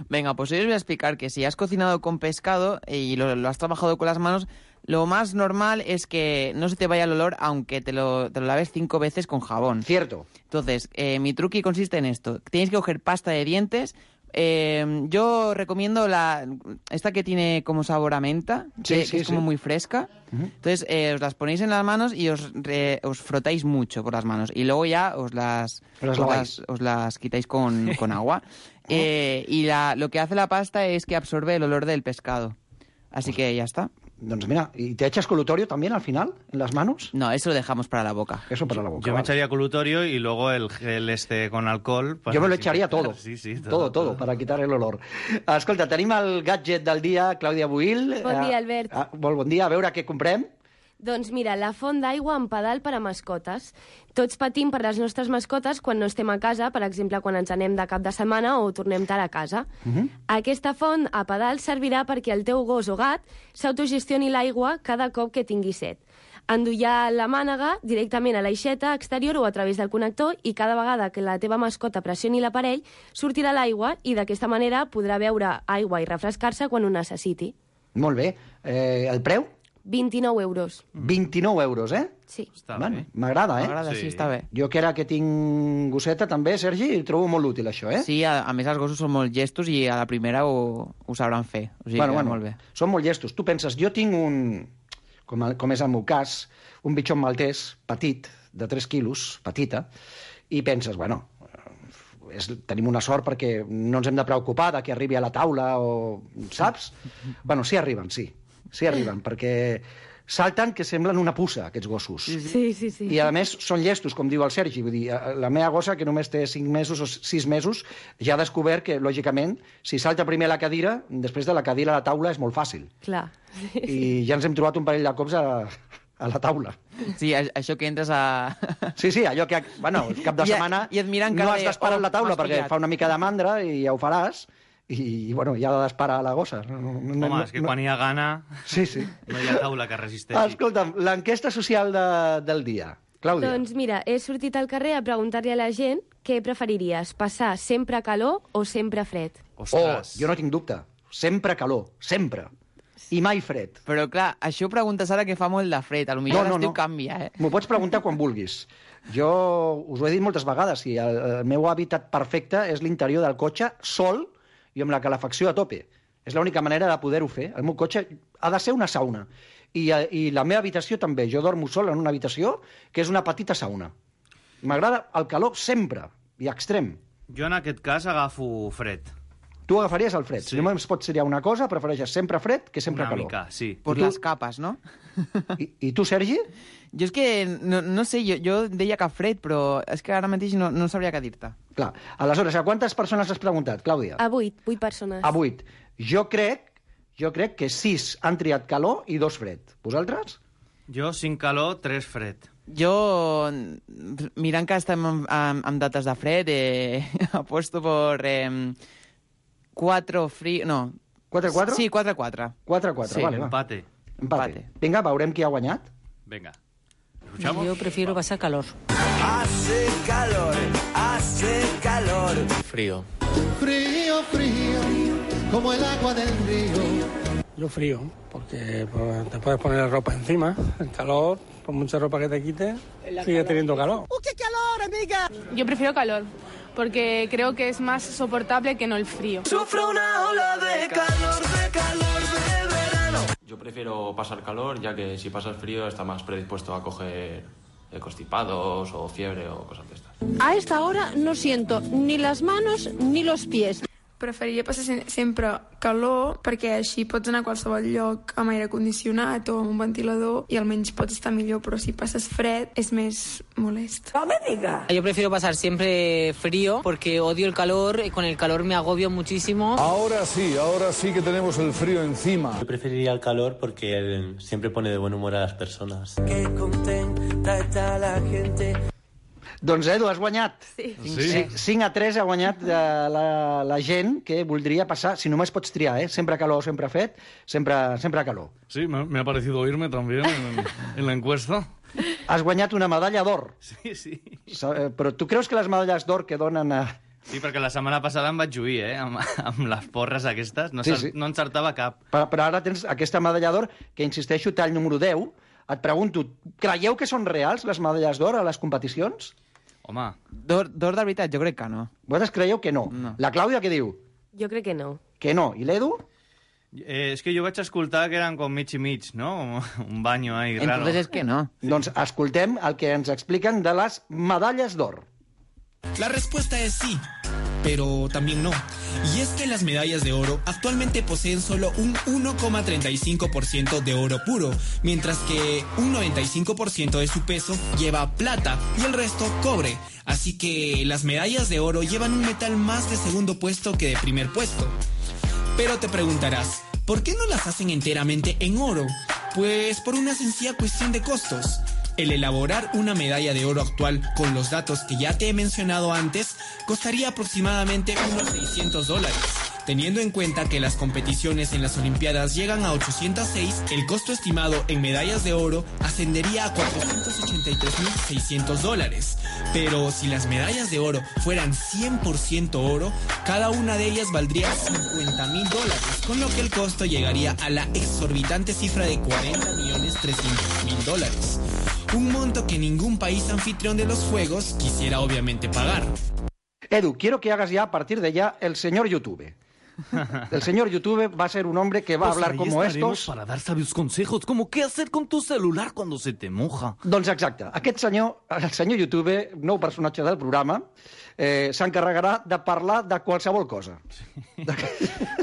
Venga, pues hoy os voy a explicar que si has cocinado con pescado y lo has trabajado con las manos, lo más normal es que no se te vaya el olor aunque te lo laves 5 veces con jabón. Cierto. Entonces, mi truqui consiste en esto. Tienes que coger pasta de dientes. Yo recomiendo esta que tiene como sabor a menta, que es como muy fresca. Entonces, os las ponéis en las manos y os frotáis mucho por las manos. Y luego ya os las quitáis con agua. Y lo que hace la pasta es que absorbe el olor del pescado. Así que ya está. Doncs mira, ¿y te echas colutorio también al final, en las manos? No, eso lo dejamos para la boca. Eso para la boca. Yo me echaría colutorio y luego el gel con alcohol. Yo me lo echaría todo. Sí, todo, para quitar el olor. Escolta, tenim el gadget del dia, Clàudia Buil. Bon dia, Albert. Bon dia, a veure què comprem. Doncs mira, la font d'aigua amb pedal per a mascotes. Tots patim per les nostres mascotes quan no estem a casa, per exemple, quan ens anem de cap de setmana o tornem tard a casa. Aquesta font a pedal servirà perquè el teu gos o gat s'autogestioni l'aigua cada cop que tingui set. Endollar la mànega directament a l'aixeta exterior o a través del connector i cada vegada que la teva mascota pressioni l'aparell sortirà l'aigua i d'aquesta manera podrà beure aigua i refrescar-se quan ho necessiti. Molt bé. El preu? 29 euros. 29 euros, Sí. Està bé. M'agrada, M'agrada, sí, està bé. Jo que ara que tinc gosseta també, Sergi, trobo molt útil això, Sí, a més els gossos són molt llestos i a la primera ho sabran fer. O sigui que molt bé. Són molt llestos. Tu penses, jo tinc com és el meu cas, un bitxon maltès petit, de 3 quilos, petita, i penses, bueno, tenim una sort perquè no ens hem de preocupar de que arribi a la taula o... Saps? Bueno, sí arriben, perquè salten que semblen una puça, aquests gossos. Sí. I, a més, són llestos, com diu el Sergi. Vull dir, la meva gossa, que només té 5 mesos o 6 mesos, ja ha descobert que, lògicament, si salta primer a la cadira, després de la cadira a la taula és molt fàcil. Clar. I ja ens hem trobat un parell de cops a la taula. Sí, això que entres a... Sí, allò que, bueno, cap de setmana no has d'esperar a la taula perquè fa una mica de mandra i ja ho faràs. I, bueno, ja ha d'esperar a la gossa. Home, és que quan hi ha gana no hi ha taula que resisteixi. Escolta'm, l'enquesta social del dia. Clàudia. Doncs mira, he sortit al carrer a preguntar-li a la gent què preferiries, passar sempre calor o sempre fred? Ostres. Jo no tinc dubte. Sempre calor, sempre. I mai fred. Però clar, això ho preguntes ara que fa molt de fred. Potser l'estiu canvia, M'ho pots preguntar quan vulguis. Jo us ho he dit moltes vegades, i el meu hàbitat perfecte és l'interior del cotxe, sol, i amb la calefacció a tope. És l'única manera de poder-ho fer. El meu cotxe ha de ser una sauna. I la meva habitació també. Jo dormo sol en una habitació que és una petita sauna. M'agrada el calor sempre, i extrem. Jo en aquest cas agafo fred. Tu agafaries el fred. Si només pots triar una cosa, prefereixes sempre fred que sempre calor. Una mica, sí. Por las capas, ¿no? I tu, Sergi? Jo és que, no sé, jo deia que fred, però és que ara mateix no sabria què dir-te. Clar. Aleshores, a quantes persones has preguntat, Clàudia? A 8 persones. A 8. Jo crec que 6 han triat calor i 2 fred. Vosaltres? Jo 5 calor, 3 fred. Jo, mirant que estem amb dates de fred, apuesto por 4 frío... No. 4-4? Sí, 4-4. 4-4, sí, vale. Empate. Vinga, veurem qui ha guanyat. Venga. Yo prefiero pasar calor. Hace calor. Frío. Frío, como el agua del río. Yo frío, porque te puedes poner la ropa encima. El calor, por mucha ropa que te quites, sigue teniendo calor. ¡Qué calor, amiga! Yo prefiero calor, porque creo que es más soportable que no el frío. Sufro una ola de calor de verano. Yo prefiero pasar calor, ya que si pasas frío está más predispuesto a coger constipados o fiebre o cosas de estas. A esta hora no siento ni las manos ni los pies. Preferiria passar sempre calor, perquè així pots anar a qualsevol lloc amb aire condicionat o amb un ventilador i almenys pots estar millor, però si passes fred és més molest. ¡No me diga! Yo prefiero pasar siempre frío porque odio el calor y con el calor me agobio muchísimo. Ahora sí que tenemos el frío encima. Yo preferiría el calor porque siempre pone de buen humor a las personas. Qué contenta está la gente. Doncs Edu, has guanyat. Sí. 5-3 ha guanyat la gent que voldria passar, si només pots triar, sempre calor, sempre fred, sempre calor. Sí, me ha parecido oírme también en la encuesta. Has guanyat una medalla d'or. Sí. Però tu creus que les medalles d'or que donen a... Sí, perquè la setmana passada em vaig lluir, amb les porres aquestes. No encertava cap. Però ara tens aquesta medalla d'or, que insisteixo, tall número 10. Et pregunto, creieu que són reals les medalles d'or a les competicions? Home... D'or de veritat, jo crec que no. Vosaltres creieu que no? La Clàudia què diu? Jo crec que no. Que no. I l'Edu? És que jo vaig escoltar que eren com mig i mig, no? Un baño ahí raro. Entonces es que no. Doncs escoltem el que ens expliquen de les medalles d'or. La respuesta es sí, pero también no. Y es que las medallas de oro actualmente poseen solo un 1,35% de oro puro, mientras que un 95% de su peso lleva plata y el resto cobre. Así que las medallas de oro llevan un metal más de segundo puesto que de primer puesto. Pero te preguntarás, ¿por qué no las hacen enteramente en oro? Pues por una sencilla cuestión de costos. El elaborar una medalla de oro actual con los datos que ya te he mencionado antes costaría aproximadamente unos $600. Teniendo en cuenta que las competiciones en las Olimpiadas llegan a 806, el costo estimado en medallas de oro ascendería a $483.600. Pero si las medallas de oro fueran 100% oro, cada una de ellas valdría $50.000, con lo que el costo llegaría a la exorbitante cifra de $40.300.000. Un monto que ningún país anfitrión de los Juegos quisiera obviamente pagar. Edu, quiero que hagas ya a partir de ya el señor YouTube. El señor YouTube va a ser un hombre que va a hablar como estos... para dar sabios consejos, como qué hacer con tu celular cuando se te moja. Doncs exacte. Aquest senyor, el senyor YouTube, nou personatge del programa, s'encarregarà de parlar de qualsevol cosa.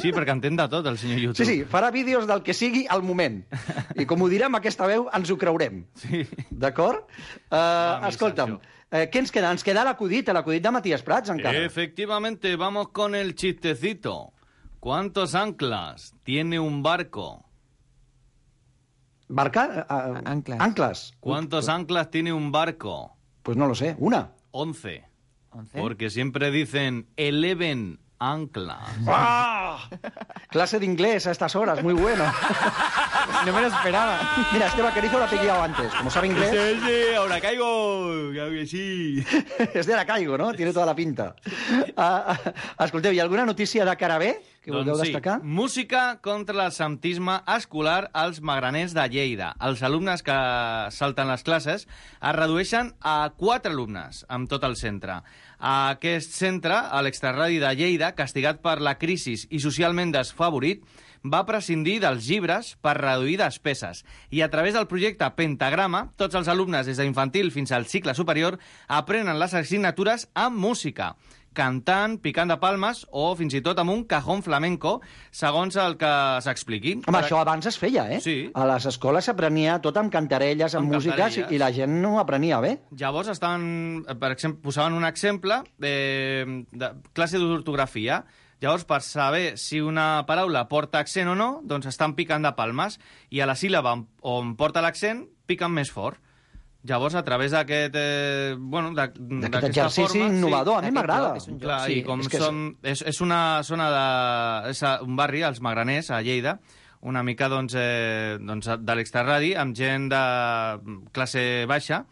Sí, perquè entén de tot, el senyor YouTube. Sí, farà vídeos del que sigui al moment. I com ho dirà amb aquesta veu, ens ho creurem. Sí. D'acord? Escolta'm, què ens queda? Ens queda l'acudit de Matías Prats, encara. Efectivamente, vamos con el chistecito. ¿Cuántos anclas tiene un barco? ¿Barca? Anclas. ¿Cuántos anclas tiene un barco? Pues no lo sé. ¿Una? 11. Porque siempre dicen 11 anclas. ¡Ah! Clase de inglés a estas horas, muy bueno. No me lo esperaba. Mira, este vaquerizo lo ha pillado antes. Como sabe inglés... Sí, ahora caigo. Claro que sí. Es de la caigo, ¿no? Tiene toda la pinta. Escolteu, hi ha alguna notícia de cara B que vulgueu destacar? Sí. Música contra l'absentisme escolar als magraners de Lleida. Els alumnes que salten les classes es redueixen a 4 alumnes amb tot el centre. Aquest centre, a l'Extraradi de Lleida, castigat per la crisi i socialment desfavorit, va prescindir dels llibres per reduir despeses. I a través del projecte Pentagrama, tots els alumnes des d'infantil fins al cicle superior aprenen les assignatures amb música, cantant, picant de palmes o fins i tot amb un cajón flamenco, segons el que s'expliqui. Home, això abans es feia, eh? Sí. A les escoles s'aprenia tot amb cantarelles, amb músiques, i la gent no aprenia bé. Llavors per exemple, posaven un exemple de classe d'ortografia. Llavors, per saber si una paraula porta accent o no, doncs estan picant de palmes, i a la síl·laba on porta l'accent, piquen més fort. Llavors, a través d'aquest d'aquest exercici innovador, a mi m'agrada. Clar, i com és una zona és un barri, els Magraners, a Lleida, una mica de l'Extraradi, amb gent de classe baixa,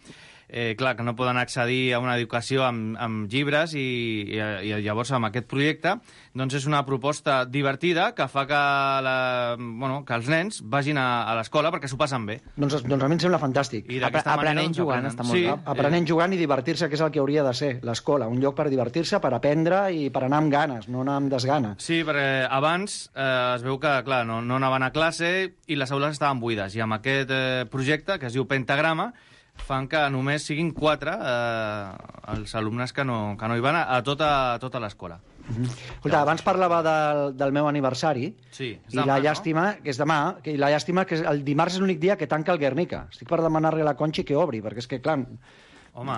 clar, que no poden accedir a una educació amb llibres, i llavors amb aquest projecte doncs és una proposta divertida que fa que els nens vagin a l'escola perquè s'ho passen bé. Doncs a mi em sembla fantàstic. Aprenent jugant està molt bé. Aprenent jugant i divertir-se, que és el que hauria de ser l'escola, un lloc per divertir-se, per aprendre i per anar amb ganes, no anar amb desgana. Sí, perquè abans es veu que, clar, no anaven a classe i les aules estaven buides, i amb aquest projecte, que es diu Pentagrama, fan que només siguin 4 els alumnes que no hi van a tota l'escola. Escolta, abans parlava del meu aniversari, sí, i la llàstima, que és demà, i la llàstima que el dimarts és l'únic dia que tanca el Guernica. Estic per demanar-li a la Conchi que obri, perquè és que, clar... Home...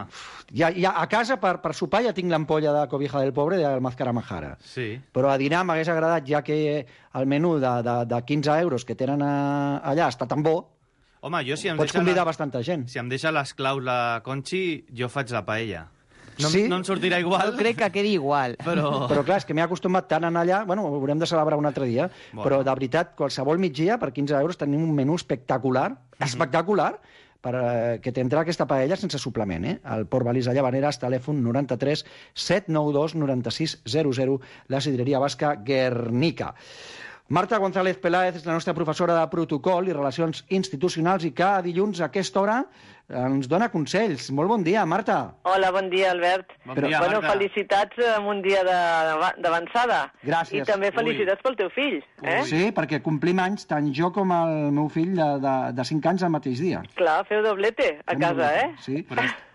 Ja a casa, per sopar, ja tinc l'ampolla de Cobija del Pobre del Mázcara Majara. Sí. Però a dinar m'hagués agradat, ja que el menú de 15 euros que tenen allà està tan bo, home, jo si em pots convidar bastanta gent. Si em deixa les claus la Conchi, jo faig la paella. No, sí? No em sortirà igual. No crec que quedi igual. Però clar, és que m'he acostumat tant a anar allà... Bueno, ho haurem de celebrar un altre dia, però de veritat, qualsevol migdia, per 15 euros, tenim un menú espectacular, que t'entra aquesta paella sense suplement, El Port Balisa Llavaneres, telèfon 93 792 96 00, la sidreria basca Guernica. Marta González Peláez és la nostra professora de protocol i relacions institucionals i cada dilluns a aquesta hora ens dona consells. Molt bon dia, Marta. Hola, bon dia, Albert. Bon dia, bueno, Marta. Felicitats en un dia d'avançada. Gràcies. I també felicitats pel teu fill. Sí, perquè complim anys tant jo com el meu fill de 5 anys el mateix dia. Clar, feu doblete a casa, Sí.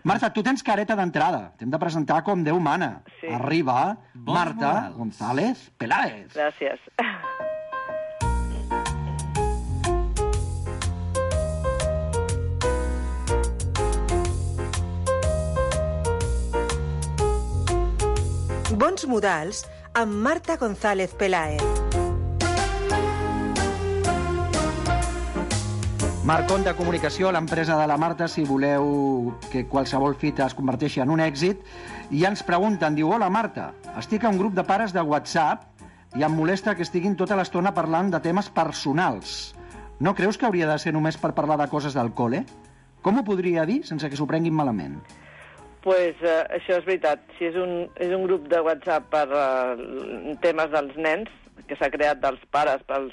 Marta, tu tens careta d'entrada. T'hem de presentar com Déu mana. Sí. Arriba Marta González Peláez. Gràcies. Bons modals amb Marta González Peláez. Marcon de Comunicació, l'empresa de la Marta, si voleu que qualsevol fita es converteixi en un èxit. I ens pregunten, diu, hola Marta, estic a un grup de pares de WhatsApp i em molesta que estiguin tota l'estona parlant de temes personals. No creus que hauria de ser només per parlar de coses del col·le? Com ho podria dir sense que s'ho prenguin malament? Pues això és veritat. Si és un grup de WhatsApp per temes dels nens, que s'ha creat dels pares pels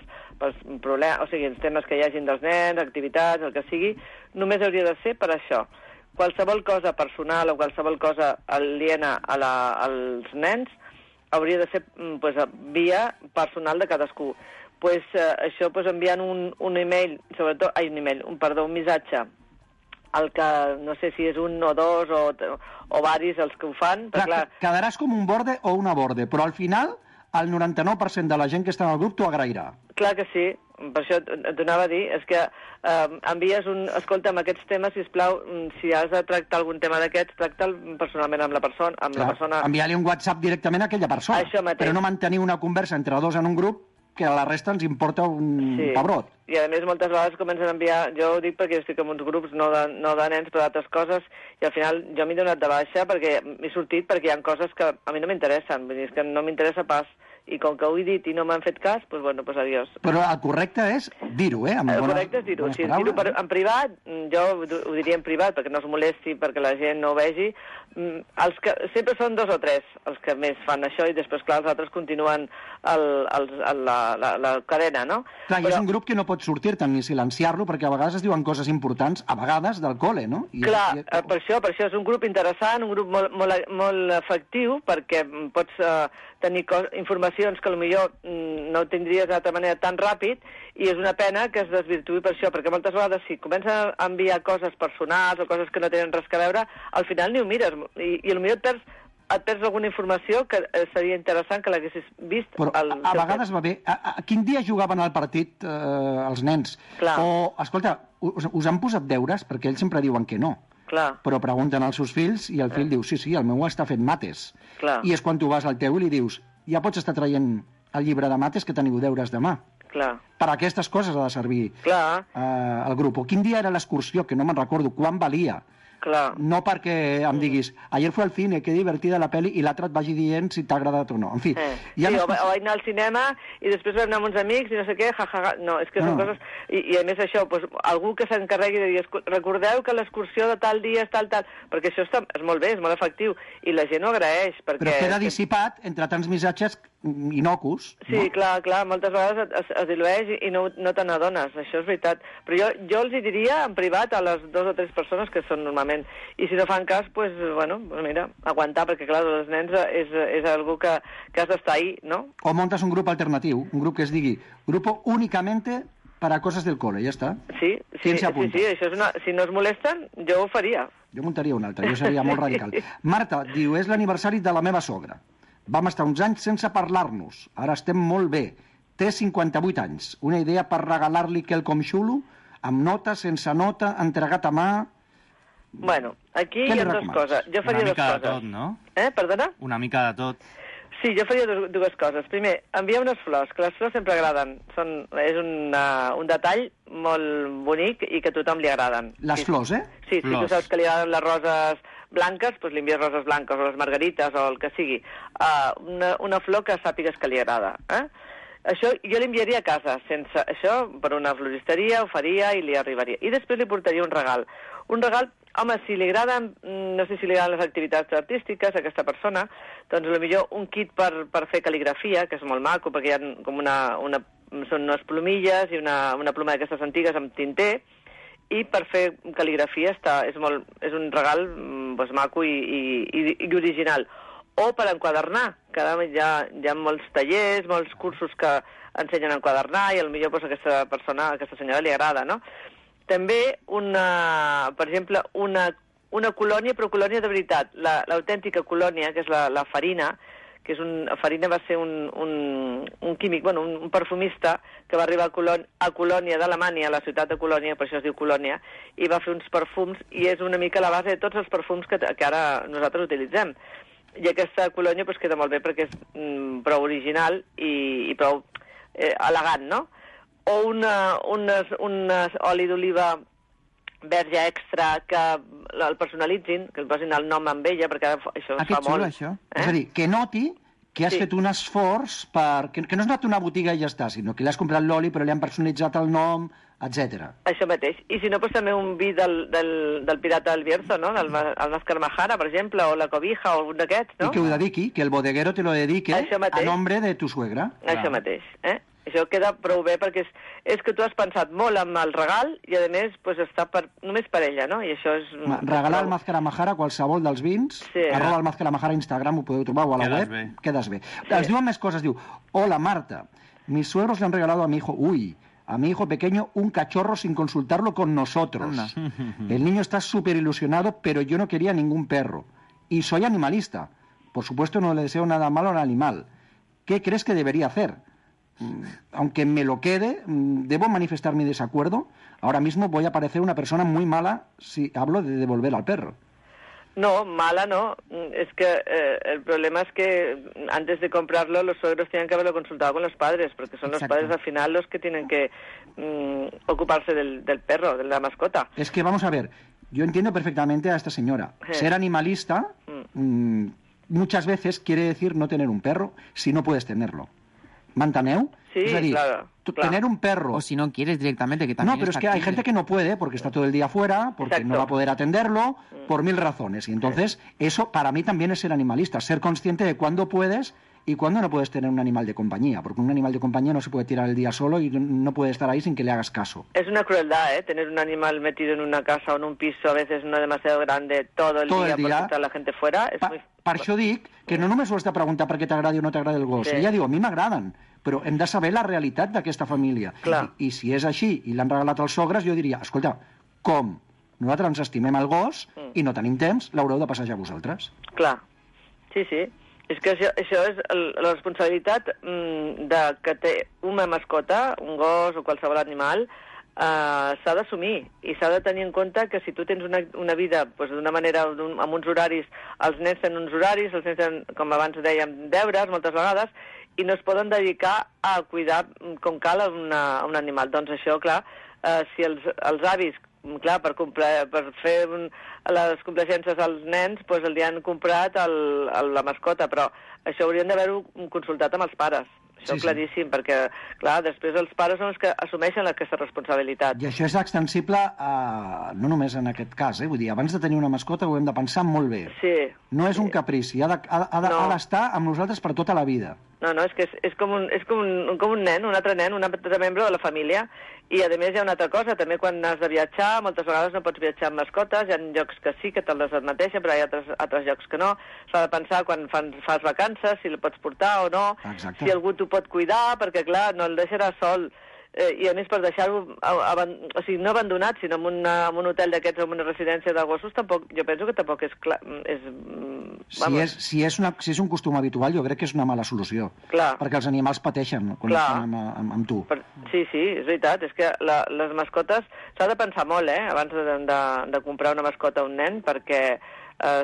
problemes, o sigui, els temes que hi hagin dels nens, activitats, el que sigui, només hauria de ser per això. Qualsevol cosa personal o qualsevol cosa aliena als nens hauria de ser via personal de cadascú. Això enviant un email, sobretot, un missatge, el que no sé si és un o dos o varis els que ho fan. Clar, quedaràs com un borde o una borde, però al final el 99% de la gent que està en el grup t'ho agrairà. Clar que sí, per això t'ho anava a dir, és que envies escolta, amb aquests temes, sisplau, si has de tractar algun tema d'aquests, tracta'l personalment amb la persona. Enviar-li un WhatsApp directament a aquella persona, però no mantenir una conversa entre dos en un grup que a la resta ens importa un pebrot. I a més moltes vegades comencen a enviar, jo ho dic perquè estic en uns grups no de nens però d'altres coses, i al final jo m'he donat de baixa perquè m'he sortit perquè hi ha coses que a mi no m'interessen, vull dir, és que no m'interessa pas, i com que ho he dit i no m'han fet cas, doncs bueno, doncs adiós. Però el correcte és dir-ho, El correcte és dir-ho, si és dir-ho en privat, jo ho diria en privat perquè no es molesti, perquè la gent no ho vegi. Sempre són 2 o 3 els que més fan això i després, clar, els altres continuen la cadena, no? Clar, i és un grup que no pot sortir-te'n ni silenciar-lo perquè a vegades es diuen coses importants, a vegades del col·le, no? Clar, per això és un grup interessant, un grup molt efectiu perquè pots tenir informacions que potser no tindries d'altra manera tan ràpid, i és una pena que es desvirtuï per això, perquè moltes vegades si comencen a enviar coses personals o coses que no tenen res a veure, al final ni ho mires, i potser et perds alguna informació que seria interessant que l'haguessis vist. Però a vegades va bé. Quin dia jugaven al partit els nens? Clar. O, escolta, us han posat deures? Perquè ells sempre diuen que no. Clar. Però pregunten als seus fills i el fill diu, sí, el meu està fent mates. Clar. I és quan tu vas al teu i li dius, ja pots estar traient el llibre de mates que teniu deures demà. Clar. Per a aquestes coses ha de servir el grup. O quin dia era l'excursió, que no me'n recordo, quan valia. Clar. No perquè em diguis, ayer fue al cine, que divertida la peli, i l'altre et vagi dient si t'ha agradat o no. En fi. Sí, o vaig anar al cinema i després vam anar amb uns amics i no sé què, jajaja. No, és que són coses... I a més això, algú que s'encarregui de dir, recordeu que l'excursió de tal dia és tal, perquè això és molt bé, és molt efectiu, i la gent ho agraeix. Perquè... Però queda dissipat entre tants missatges inocus. Sí, clar, moltes vegades es dilueix i no te n'adones, això és veritat. Però jo els hi diria en privat a les 2 o 3 persones que són normalment. I si no fan cas, mira, aguantar, perquè clar, els nens és algo que has d'estar ahí, ¿no? O montes un grup alternatiu, un grup que es digui Grupo únicamente para cosas del cole, ja està. Sí, això és si no es molesten, jo ho faria. Jo muntaria un altre, jo seria molt radical. Marta, diu, és l'aniversari de la meva sogra. Vam estar uns anys sense parlar-nos. Ara estem molt bé. Té 58 anys. Una idea per regalar-li quelcom xulo? Amb nota, sense nota, entregat a mà... Bueno, aquí hi ha dues coses. Jo faria dues coses. Una mica de tot, no? Perdona? Una mica de tot. Sí, jo faria dues coses. Primer, enviar unes flors, que les flors sempre agraden. És un detall molt bonic i que a tothom li agraden. Les flors, eh? Sí, si tu saps que li agraden les roses blanques, doncs li envies roses blanques o les margarites o el que sigui. Una flor que sàpigues que li agrada. Això jo l'enviaria a casa. Sense això, per una floristeria, ho faria i li arribaria. I després li portaria un regal. Un regal, home, si li agraden, no sé si li agraden les activitats artístiques a aquesta persona, doncs potser un kit per fer cal·ligrafia, que és molt maco, perquè hi ha com són unes plomilles i una ploma d'aquestes antigues amb tinter, i per fer cal·ligrafia és un regal doncs, maco i original. O per enquadernar, que ara hi ha molts tallers, molts cursos que ensenyen a enquadernar i potser doncs, a aquesta senyora li agrada, no? També, per exemple, una colònia, però colònia de veritat. L'autèntica colònia, que és la Farina, que Farina va ser un químic, un perfumista que va arribar a Colònia d'Alemanya, a la ciutat de Colònia, per això es diu Colònia, i va fer uns perfums, i és una mica la base de tots els perfums que ara nosaltres utilitzem. I aquesta colònia queda molt bé perquè és prou original i prou elegant, no? O un oli d'oliva verge extra que el personalitzin, que el posin el nom amb ella, perquè això es fa molt. Això. És a dir, que noti que has fet un esforç que no has anat a una botiga i ja està, sinó que li has comprat l'oli però li han personalitzat el nom, etc. Això mateix. I si no, doncs també un vi del Pirata del Bierzo, no? El Máscara Majara, per exemple, o la Cobija, o algun d'aquests, no? I que ho dediqui, que el bodeguero te lo dedique a nombre de tu suegra. Això mateix, Això queda prou bé perquè és que tu has pensat molt en el regal i, a més, està només per ella, no? I això és... Regalar el Máscara Majara, qualsevol dels vins, arroba el Máscara Majara a Instagram, ho podeu trobar, o a la web. Quedes bé. Els diuen més coses, diu, hola Marta, mis suegros le han regalado a mi hijo pequeño un cachorro sin consultarlo con nosotros. El niño está súper ilusionado, pero yo no quería ningún perro. Y soy animalista. Por supuesto no le deseo nada malo al animal. ¿Qué crees que debería hacer? Aunque me lo quede, ¿debo manifestar mi desacuerdo? Ahora mismo voy a parecer una persona muy mala si hablo de devolver al perro. No, mala no. Es que el problema es que antes de comprarlo los suegros tienen que haberlo consultado con los padres, porque son los padres al final los que tienen que ocuparse del perro, de la mascota. Es que vamos a ver, yo entiendo perfectamente a esta señora. Ser animalista muchas veces quiere decir no tener un perro si no puedes tenerlo. ¿M'enteneu? Sí, es decir, claro. Tener un perro... O si no quieres directamente, que también... No, pero es que hay gente que no puede porque está todo el día fuera, porque no va a poder atenderlo, por 1000 razones. Y entonces, eso para mí también es ser animalista, ser consciente de cuándo puedes y cuándo no puedes tener un animal de compañía, porque un animal de compañía no se puede tirar el día solo y no puede estar ahí sin que le hagas caso. Es una crueldad, tener un animal metido en una casa o en un piso, a veces no demasiado grande, todo el día por estar la gente fuera. És muy... Per això dic que no només ho has de preguntar perquè t'agradi o no t'agradi el gos. Ella diu, a mi m'agraden, però hem de saber la realitat d'aquesta família. I si és així i l'han regalat als sogres, jo diria, escolta, com? Nosaltres ens estimem el gos i no tenim temps, l'haureu de passejar vosaltres. Clar, sí. És que això és la responsabilitat que té una mascota, un gos o qualsevol animal, s'ha d'assumir i s'ha de tenir en compte que si tu tens una vida d'una manera, amb uns horaris, els nens tenen uns horaris, els nens tenen, com abans dèiem, deures moltes vegades, i no es poden dedicar a cuidar com cal a un animal. Doncs això, clar, si els avis, clar, per fer les complacències als nens, doncs els han comprat la mascota, però això haurien d'haver-ho consultat amb els pares. Això claríssim, perquè, clar, després els pares són els que assumeixen aquesta responsabilitat. I això és extensible no només en aquest cas, vull dir, abans de tenir una mascota ho hem de pensar molt bé. Sí. No és un caprici, ha d'estar amb nosaltres per tota la vida. No, és que és com un nen, un altre membre de la família, i a més hi ha una altra cosa, també quan has de viatjar, moltes vegades no pots viatjar amb mascotes, hi ha llocs que sí, que te'l admeteixen, però hi ha altres llocs que no. S'ha de pensar quan fas vacances, si el pots portar o no, si algú t'ho pot cuidar, perquè clar, no el deixaràs sol. i a més per deixar-ho, o sigui, no abandonat, sinó en un hotel d'aquests o en una residència de gossos, tampoc, jo penso que tampoc és clar. Si és un costum habitual, jo crec que és una mala solució. Clar. Perquè els animals pateixen quan estan amb tu. Sí, és veritat. És que les mascotes s'ha de pensar molt, abans de comprar una mascota a un nen, perquè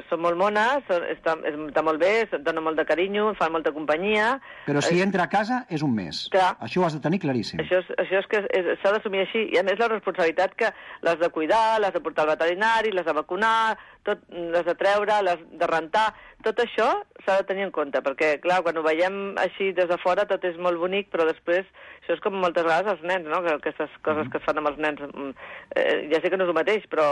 són molt mones, està molt bé, donen molt de carinyo, fan molta companyia. Però si entra a casa és un mes. Clar. Això ho has de tenir claríssim. Això és que s'ha d'assumir així. I a més la responsabilitat que l'has de cuidar, l'has de portar al veterinari, l'has de vacunar, l'has de treure, l'has de rentar. Tot això s'ha de tenir en compte, perquè, clar, quan ho veiem així des de fora tot és molt bonic, però després això és com moltes vegades els nens, no? Que aquestes coses que es fan amb els nens, ja sé que no és el mateix, però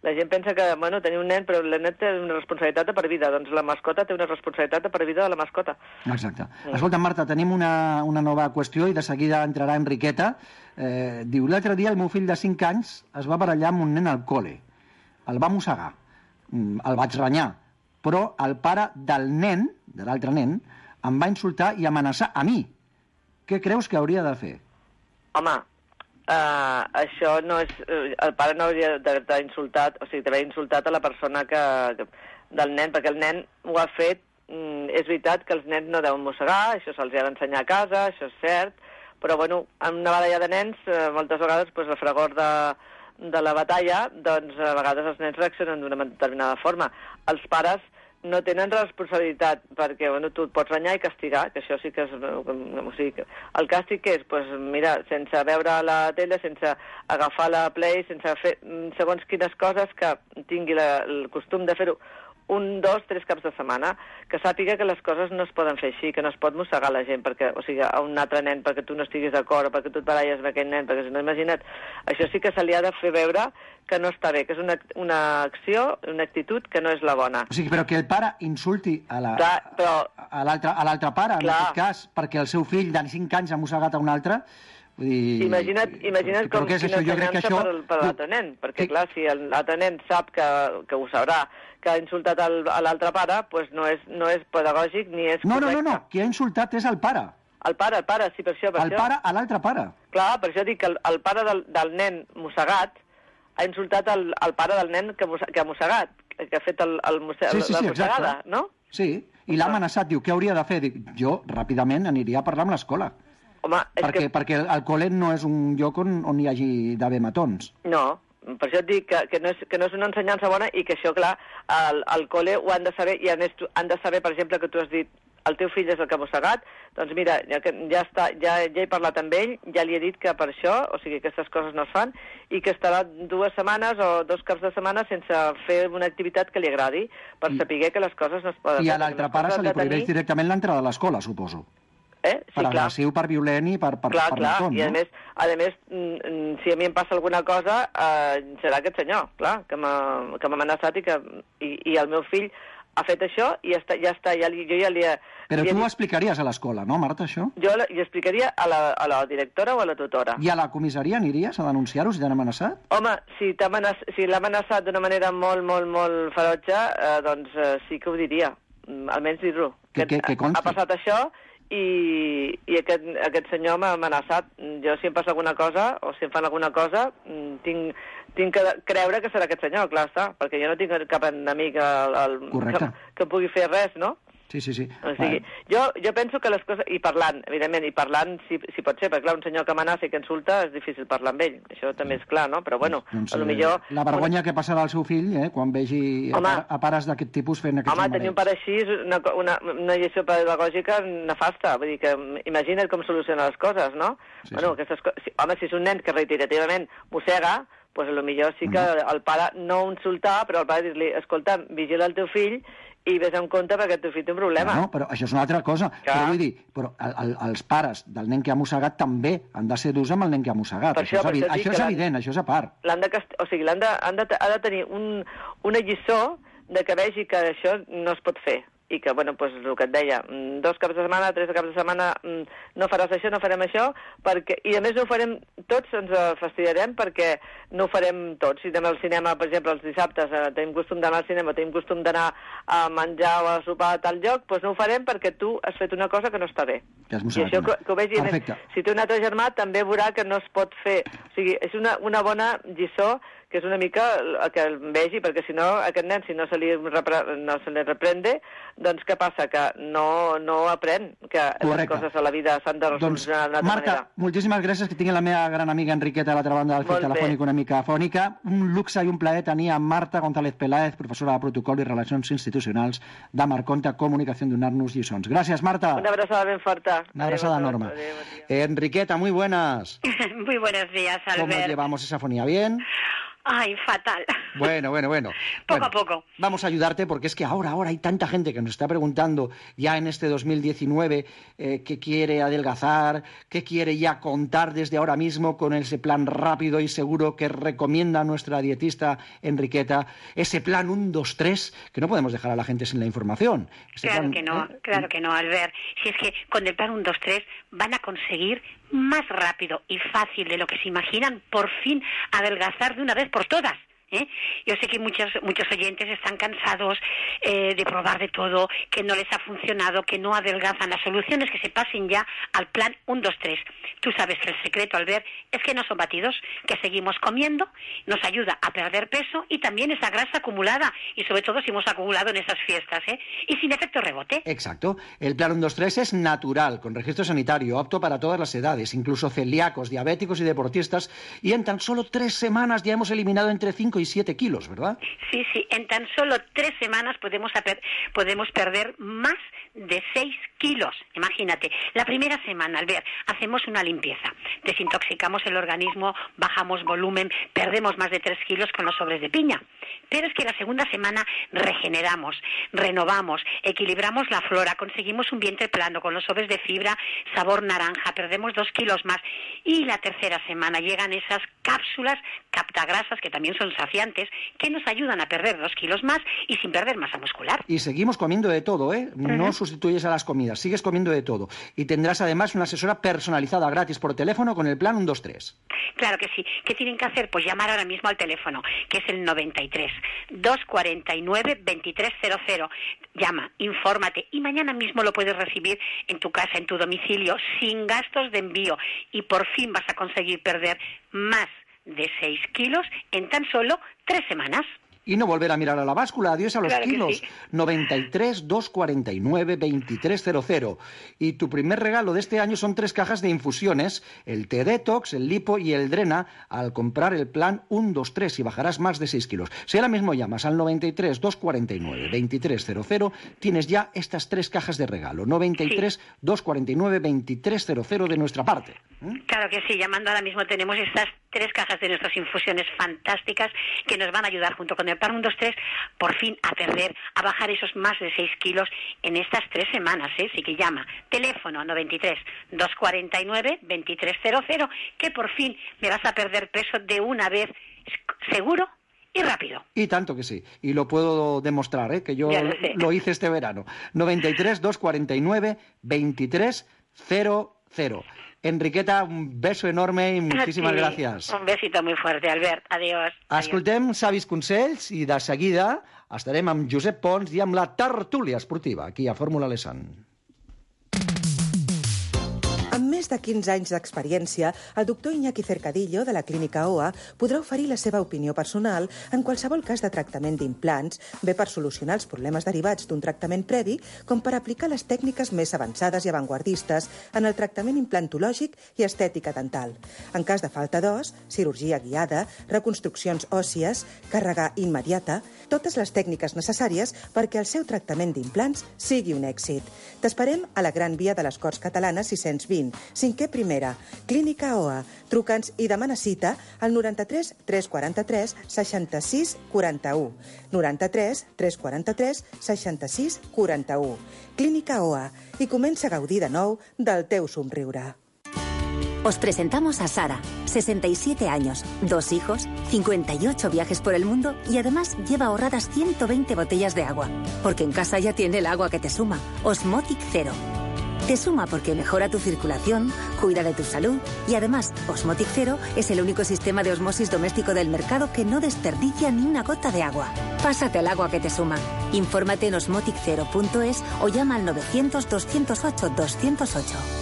la gent pensa que, bueno, tenir un nen, però el nen té una responsabilitat de per vida, doncs la mascota té una responsabilitat de per vida de la mascota. Exacte. Escolta, Marta, tenim una nova qüestió i de seguida entrarà Enriqueta. Diu, l'altre dia el meu fill de 5 anys es va barallar amb un nen al col·le. El va mossegar. El vaig renyar. Però el pare del nen, de l'altre nen, em va insultar i amenaçar a mi. Què creus que hauria de fer? Home, això no és... El pare no hauria d'haver insultat, o sigui, d'haver insultat a la persona del nen, perquè el nen ho ha fet. És veritat que els nens no deuen mossegar, això se'ls ha d'ensenyar a casa, això és cert, però, bueno, en una baralla de nens, moltes vegades, el fragor de la batalla, doncs, a vegades els nens reaccionen d'una determinada forma. Els pares no tenen responsabilitat, perquè, bueno, tu et pots renyar i castigar, que això sí que és... O sigui, el càstig què és? Doncs mira, sense veure la tele, sense agafar la Play, sense fer segons quines coses que tingui el costum de fer-ho 1, 2, 3 caps de setmana, que sàpiga que les coses no es poden fer així, que no es pot mossegar la gent, perquè, o sigui, a un altre nen, perquè tu no estiguis d'acord, o perquè tu et baralles amb aquell nen, perquè si no, imagina't, això sí que se li ha de fer veure que no està bé, que és una acció, una actitud que no és la bona. O sigui, però que el pare insulti a l'altre pare, en aquest cas, perquè el seu fill de 5 anys ha mossegat a un altre... Imagina't com quina ensenyança per l'altre nen, perquè clar, si l'altre nen sap que ho sabrà, que ha insultat a l'altre pare, doncs no és pedagògic ni és correcte. No, qui ha insultat és el pare. El pare, sí, per això. El pare a l'altre pare. Clar, per això dic que el pare del nen mossegat ha insultat el pare del nen que ha mossegat, que ha fet la mossegada, no? Sí, i l'ha amenaçat, diu, què hauria de fer? Dic, jo ràpidament aniria a parlar amb l'escola. Home, perquè el col·le no és un lloc on hi hagi d'haver matons. No, per això et dic que no és una ensenyança bona i que això, clar, al col·le ho han de saber, i a més han de saber, per exemple, que tu has dit el teu fill és el que ha mossegat, doncs mira, ja he parlat amb ell, ja li he dit que per això, o sigui, aquestes coses no es fan, i que estarà 2 setmanes o 2 caps de setmana sense fer una activitat que li agradi, per saber que les coses no es poden fer. I a l'altre pare se li prohibeix directament l'entrada a l'escola, suposo. Sí, per agressiu, per violent i per matón, i a més, si a mi em passa alguna cosa, serà aquest senyor, clar, que m'ha amenaçat i el meu fill ha fet això i jo ja li he... Però tu ho explicaries a l'escola, no, Marta, això? Jo li explicaria a la directora o a la tutora. I a la comissaria aniries a denunciar-ho si t'han amenaçat? Home, si l'ha amenaçat d'una manera molt, molt, molt ferotge, doncs sí que ho diria, almenys dir-ho. Que ha passat això i aquest senyor m'ha amenaçat. Jo, si em passa alguna cosa, o si em fan alguna cosa, tinc que creure que serà aquest senyor, clar està, perquè jo no tinc cap enemic que pugui fer res, no? Sí. O sigui, jo penso que les coses... I parlant, evidentment, si pot ser, perquè clar, un senyor que amenaça i que insulta és difícil parlar amb ell. Això també és clar, no? Però bueno, potser... La vergonya que passarà al seu fill, quan vegi a pares d'aquest tipus fent aquests numerets. Home, tenir un pare així és una lliçó pedagògica nefasta. Vull dir que imagina't com soluciona les coses, no? Sí. Home, si és un nen que reiterativament mossega, doncs potser sí que el pare no insultar, però el pare dir-li, escolta, vigila el teu fill i ves en compte perquè el teu fill té un problema. No, però això és una altra cosa. Però vull dir, els pares del nen que ha mossegat també han de ser durs amb el nen que ha mossegat. Això és evident, això és a part. Ha de tenir una lliçó de que vegi que això no es pot fer i que, bueno, doncs el que et deia, 2 caps de setmana, 3 caps de setmana, no faràs això, no farem això, perquè, i a més no ho farem tots, ens fastidiarem perquè no ho farem tots. Si anem al cinema, per exemple, els dissabtes, tenim costum d'anar al cinema, tenim costum d'anar a menjar o a sopar a tal lloc, doncs no ho farem perquè tu has fet una cosa que no està bé. I això que ho vegi, si té un altre germà també veurà que no es pot fer. O sigui, és una bona lliçó, que és una mica que el vegi, perquè si no, aquest nen, si no se li reprende, doncs què passa? Que no aprèn, que les coses a la vida s'han de resolucionar d'una altra manera. Marta, moltíssimes gràcies, que tinguin la meva gran amiga Enriqueta a l'altra banda del fil telefònic una mica afònica. Un luxe i un plaer tenir a Marta González Peláez, professora de Protocol i Relacions Institucionals de Marconta Comunicació, donar-nos lliçons. Gràcies, Marta. Una abraçada ben forta. Una abraçada enorme. Enriqueta, muy buenas. Muy buenos días, Albert. ¿Cómo llevamos esa fonía? ¿Bien? Ay, fatal. Bueno. Poco a poco. Vamos a ayudarte porque es que ahora hay tanta gente que nos está preguntando ya en este 2019 qué quiere adelgazar, qué quiere ya contar desde ahora mismo con ese plan rápido y seguro que recomienda nuestra dietista Enriqueta, ese plan 1, 2, 3, que no podemos dejar a la gente sin la información. Claro que no, Albert. Si es que con el plan 1, 2, 3 van a conseguir más rápido y fácil de lo que se imaginan, por fin adelgazar de una vez por todas. Yo sé que muchos oyentes están cansados de probar de todo, que no les ha funcionado, que no adelgazan. La solución es que se pasen ya al plan 1, 2, 3. Tú sabes que el secreto, Albert, es que no son batidos, que seguimos comiendo, nos ayuda a perder peso y también esa grasa acumulada, y sobre todo si hemos acumulado en esas fiestas, y sin efecto rebote. Exacto. El plan 1, 2, 3 es natural, con registro sanitario, apto para todas las edades, incluso celíacos, diabéticos y deportistas, y en tan solo 3 semanas ya hemos eliminado entre 5 y 7 kilos, ¿verdad? Sí, en tan solo 3 semanas podemos perder más de 6 kilos. Imagínate, la primera semana, Albert, hacemos una limpieza, desintoxicamos el organismo, bajamos volumen, perdemos más de 3 kilos con los sobres de piña. Pero es que la segunda semana regeneramos, renovamos, equilibramos la flora, conseguimos un vientre plano con los sobres de fibra, sabor naranja, perdemos 2 kilos más. Y la tercera semana llegan esas cápsulas captagrasas, que también son saciantes, que nos ayudan a perder 2 kilos más y sin perder masa muscular. Y seguimos comiendo de todo, ¿eh? No sustituyes a las comidas, sigues comiendo de todo. Y tendrás además una asesora personalizada gratis por teléfono con el plan 1, 2, 3. Claro que sí. ¿Qué tienen que hacer? Pues llamar ahora mismo al teléfono, que es el 93 249 2300. Llama, infórmate y mañana mismo lo puedes recibir en tu casa, en tu domicilio, sin gastos de envío. Y por fin vas a conseguir perder más de 6 kilos en tan solo 3 semanas. Y no volver a mirar a la báscula, adiós a los kilos. Sí. 93 249 2300. Y tu primer regalo de este año son 3 cajas de infusiones, el T-Detox, el Lipo y el Drena, al comprar el plan 1, 2, 3 y bajarás más de 6 kilos. Si ahora mismo llamas al 93 249 2300, tienes ya estas 3 cajas de regalo. 93 249 2300 de nuestra parte. Claro que sí, llamando ahora mismo tenemos estas 3 cajas de nuestras infusiones fantásticas que nos van a ayudar junto con el plan 1, 2, 3 por fin a perder, a bajar esos más de 6 kilos en estas 3 semanas, Así que llama, teléfono 93 249 2300, que por fin me vas a perder peso de una vez, seguro y rápido. Y tanto que sí, y lo puedo demostrar, que yo lo hice este verano. 93 249 2300. Enriqueta, un beso enorme i moltíssimes gràcies. Un besito muy fuerte, Albert. Adiós. Escoltem savis consells i de seguida estarem amb Josep Pons i amb la tertúlia esportiva aquí a Fórmula Lesan. Amb més de 15 anys d'experiència, el doctor Iñaki Cercadillo, de la Clínica OA, podrà oferir la seva opinió personal en qualsevol cas de tractament d'implants, bé per solucionar els problemes derivats d'un tractament previ, com per aplicar les tècniques més avançades i avantguardistes en el tractament implantològic i estètica dental. En cas de falta d'os, cirurgia guiada, reconstruccions òssies, càrrega immediata, totes les tècniques necessàries perquè el seu tractament d'implants sigui un èxit. T'esperem a la Gran Via de les Corts Catalanes 620, 5è primera, Clínica OA. Truca'ns i demana cita al 93 343 66 41. 93 343 66 41. Clínica OA. I comença a gaudir de nou del teu somriure. Os presentamos a Sara, 67 años, 2 hijos, 58 viajes por el mundo y además lleva ahorradas 120 botellas de agua. Porque en casa ya tiene el agua que te suma, Osmotic Zero. Te suma porque mejora tu circulación, cuida de tu salud y además Osmotic Zero es el único sistema de osmosis doméstico del mercado que no desperdicia ni una gota de agua. Pásate al agua que te suma. Infórmate en osmotic0.es o llama al 900 208 208.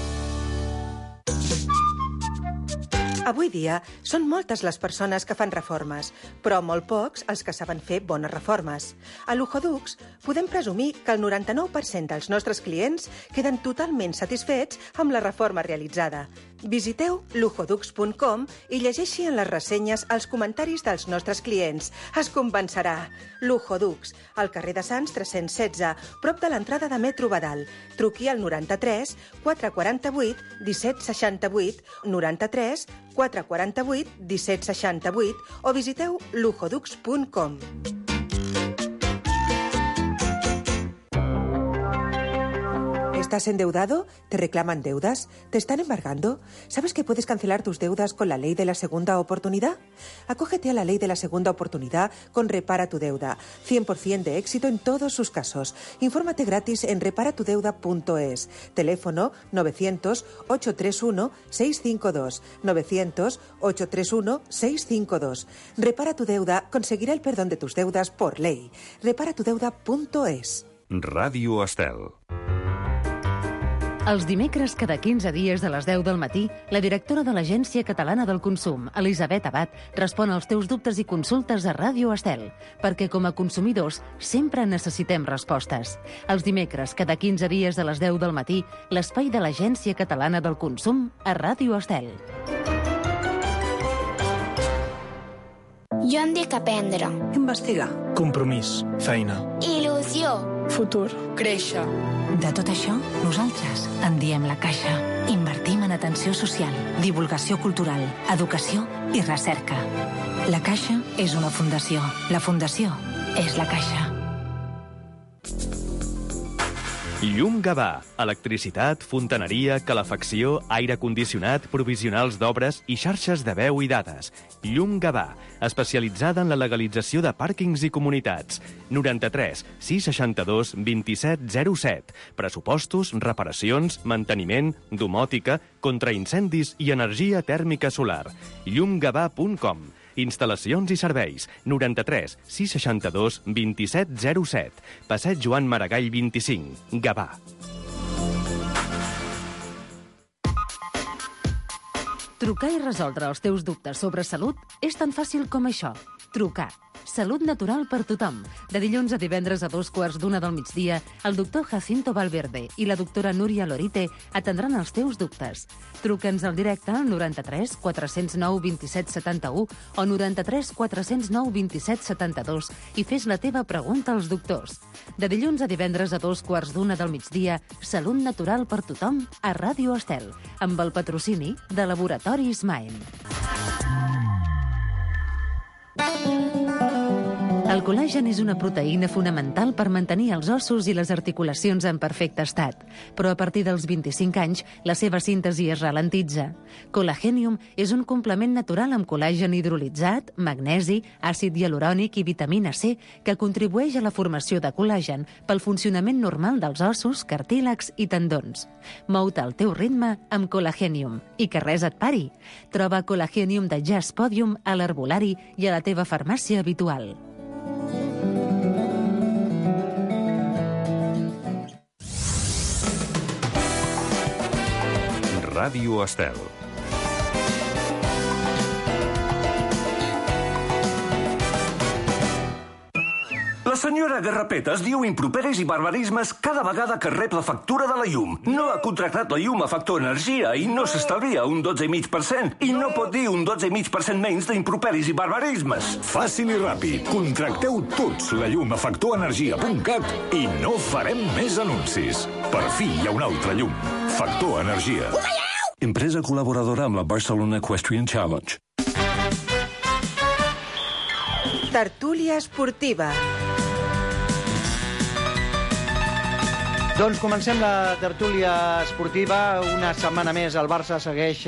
Avui dia són moltes les persones que fan reformes, però molt pocs els que saben fer bones reformes. A Luxodux podem presumir que el 99% dels nostres clients queden totalment satisfets amb la reforma realitzada. Visiteu luxodux.com i llegeixi en les ressenyes els comentaris dels nostres clients. Es convencerà. Luxodux, al carrer de Sants 316, prop de l'entrada de Metro Badal. Truqui al 93 448 1768, 93 448 1768 o visiteu luxodux.com. ¿Estás endeudado? ¿Te reclaman deudas? ¿Te están embargando? ¿Sabes que puedes cancelar tus deudas con la ley de la segunda oportunidad? Acógete a la ley de la segunda oportunidad con Repara tu Deuda. 100% de éxito en todos sus casos. Infórmate gratis en reparatudeuda.es. Teléfono 900-831-652. 900-831-652. Repara tu Deuda conseguirá el perdón de tus deudas por ley. Reparatudeuda.es. Ràdio Estel. Els dimecres, cada 15 dies a les 10 del matí, la directora de l'Agència Catalana del Consum, Elisabet Abad, respon als teus dubtes i consultes a Ràdio Estel, perquè com a consumidors sempre necessitem respostes. Els dimecres, cada 15 dies a les 10 del matí, l'espai de l'Agència Catalana del Consum a Ràdio Estel. Jo em dic aprendre. Investigar. Compromís. Feina. Il·lusió. Futur. Créixer. De tot això, nosaltres en diem La Caixa. Invertim en atenció social, divulgació cultural, educació i recerca. La Caixa és una fundació. La fundació és La Caixa. Llum Gavà. Electricitat, fontaneria, calefacció, aire condicionat, provisionals d'obres i xarxes de veu i dades. Llum Gavà, especialitzada en la legalització de pàrquings i comunitats. 93 662 2707. Pressupostos, reparacions, manteniment, domòtica, contraincendis i energia tèrmica solar. llumgavà.com. Instal·lacions i serveis. 93 662 2707. Passeig Joan Maragall 25. Gavà. Trucar i resoldre els teus dubtes sobre salut és tan fàcil com això. Trucar. Salut natural per tothom. De dilluns a divendres a 2:15 del migdia, el doctor Jacinto Valverde i la doctora Núria Lorite atendran els teus dubtes. Truca'ns al directe al 93 409 27 71 o 93 409 27 72 i fes la teva pregunta als doctors. De dilluns a divendres a 2:15 del migdia, Salut natural per tothom a Ràdio Estel, amb el patrocini de Laboratoris Maem. El col·làgen és una proteïna fonamental per mantenir els ossos i les articulacions en perfecte estat, però a partir dels 25 anys la seva síntesi es ralentitza. Colagenium és un complement natural amb col·làgen hidrolitzat, magnesi, àcid hialurònic i vitamina C que contribueix a la formació de col·làgen pel funcionament normal dels ossos, cartílags i tendons. Mou-te al teu ritme amb Colagenium i que res et pari. Troba Colagenium de Jazz Podium a l'herbolari i a la teva farmàcia habitual. Ràdio Estel. La senyora Garrapetes diu improperis i barbarismes cada vegada que rep la factura de la llum. No ha contractat la llum a Factor Energia i no s'estalvia un 12,5%. I no pot dir un 12,5% menys d'improperis i barbarismes. Fàcil i ràpid. Contracteu tots la llum a factorenergia.cat i no farem més anuncis. Per fi hi ha una altra llum. Factor Energia. Empresa col·laboradora amb la Barcelona Equestrian Challenge. Tertúlia esportiva. Doncs comencem la tertúlia esportiva. Una setmana més el Barça segueix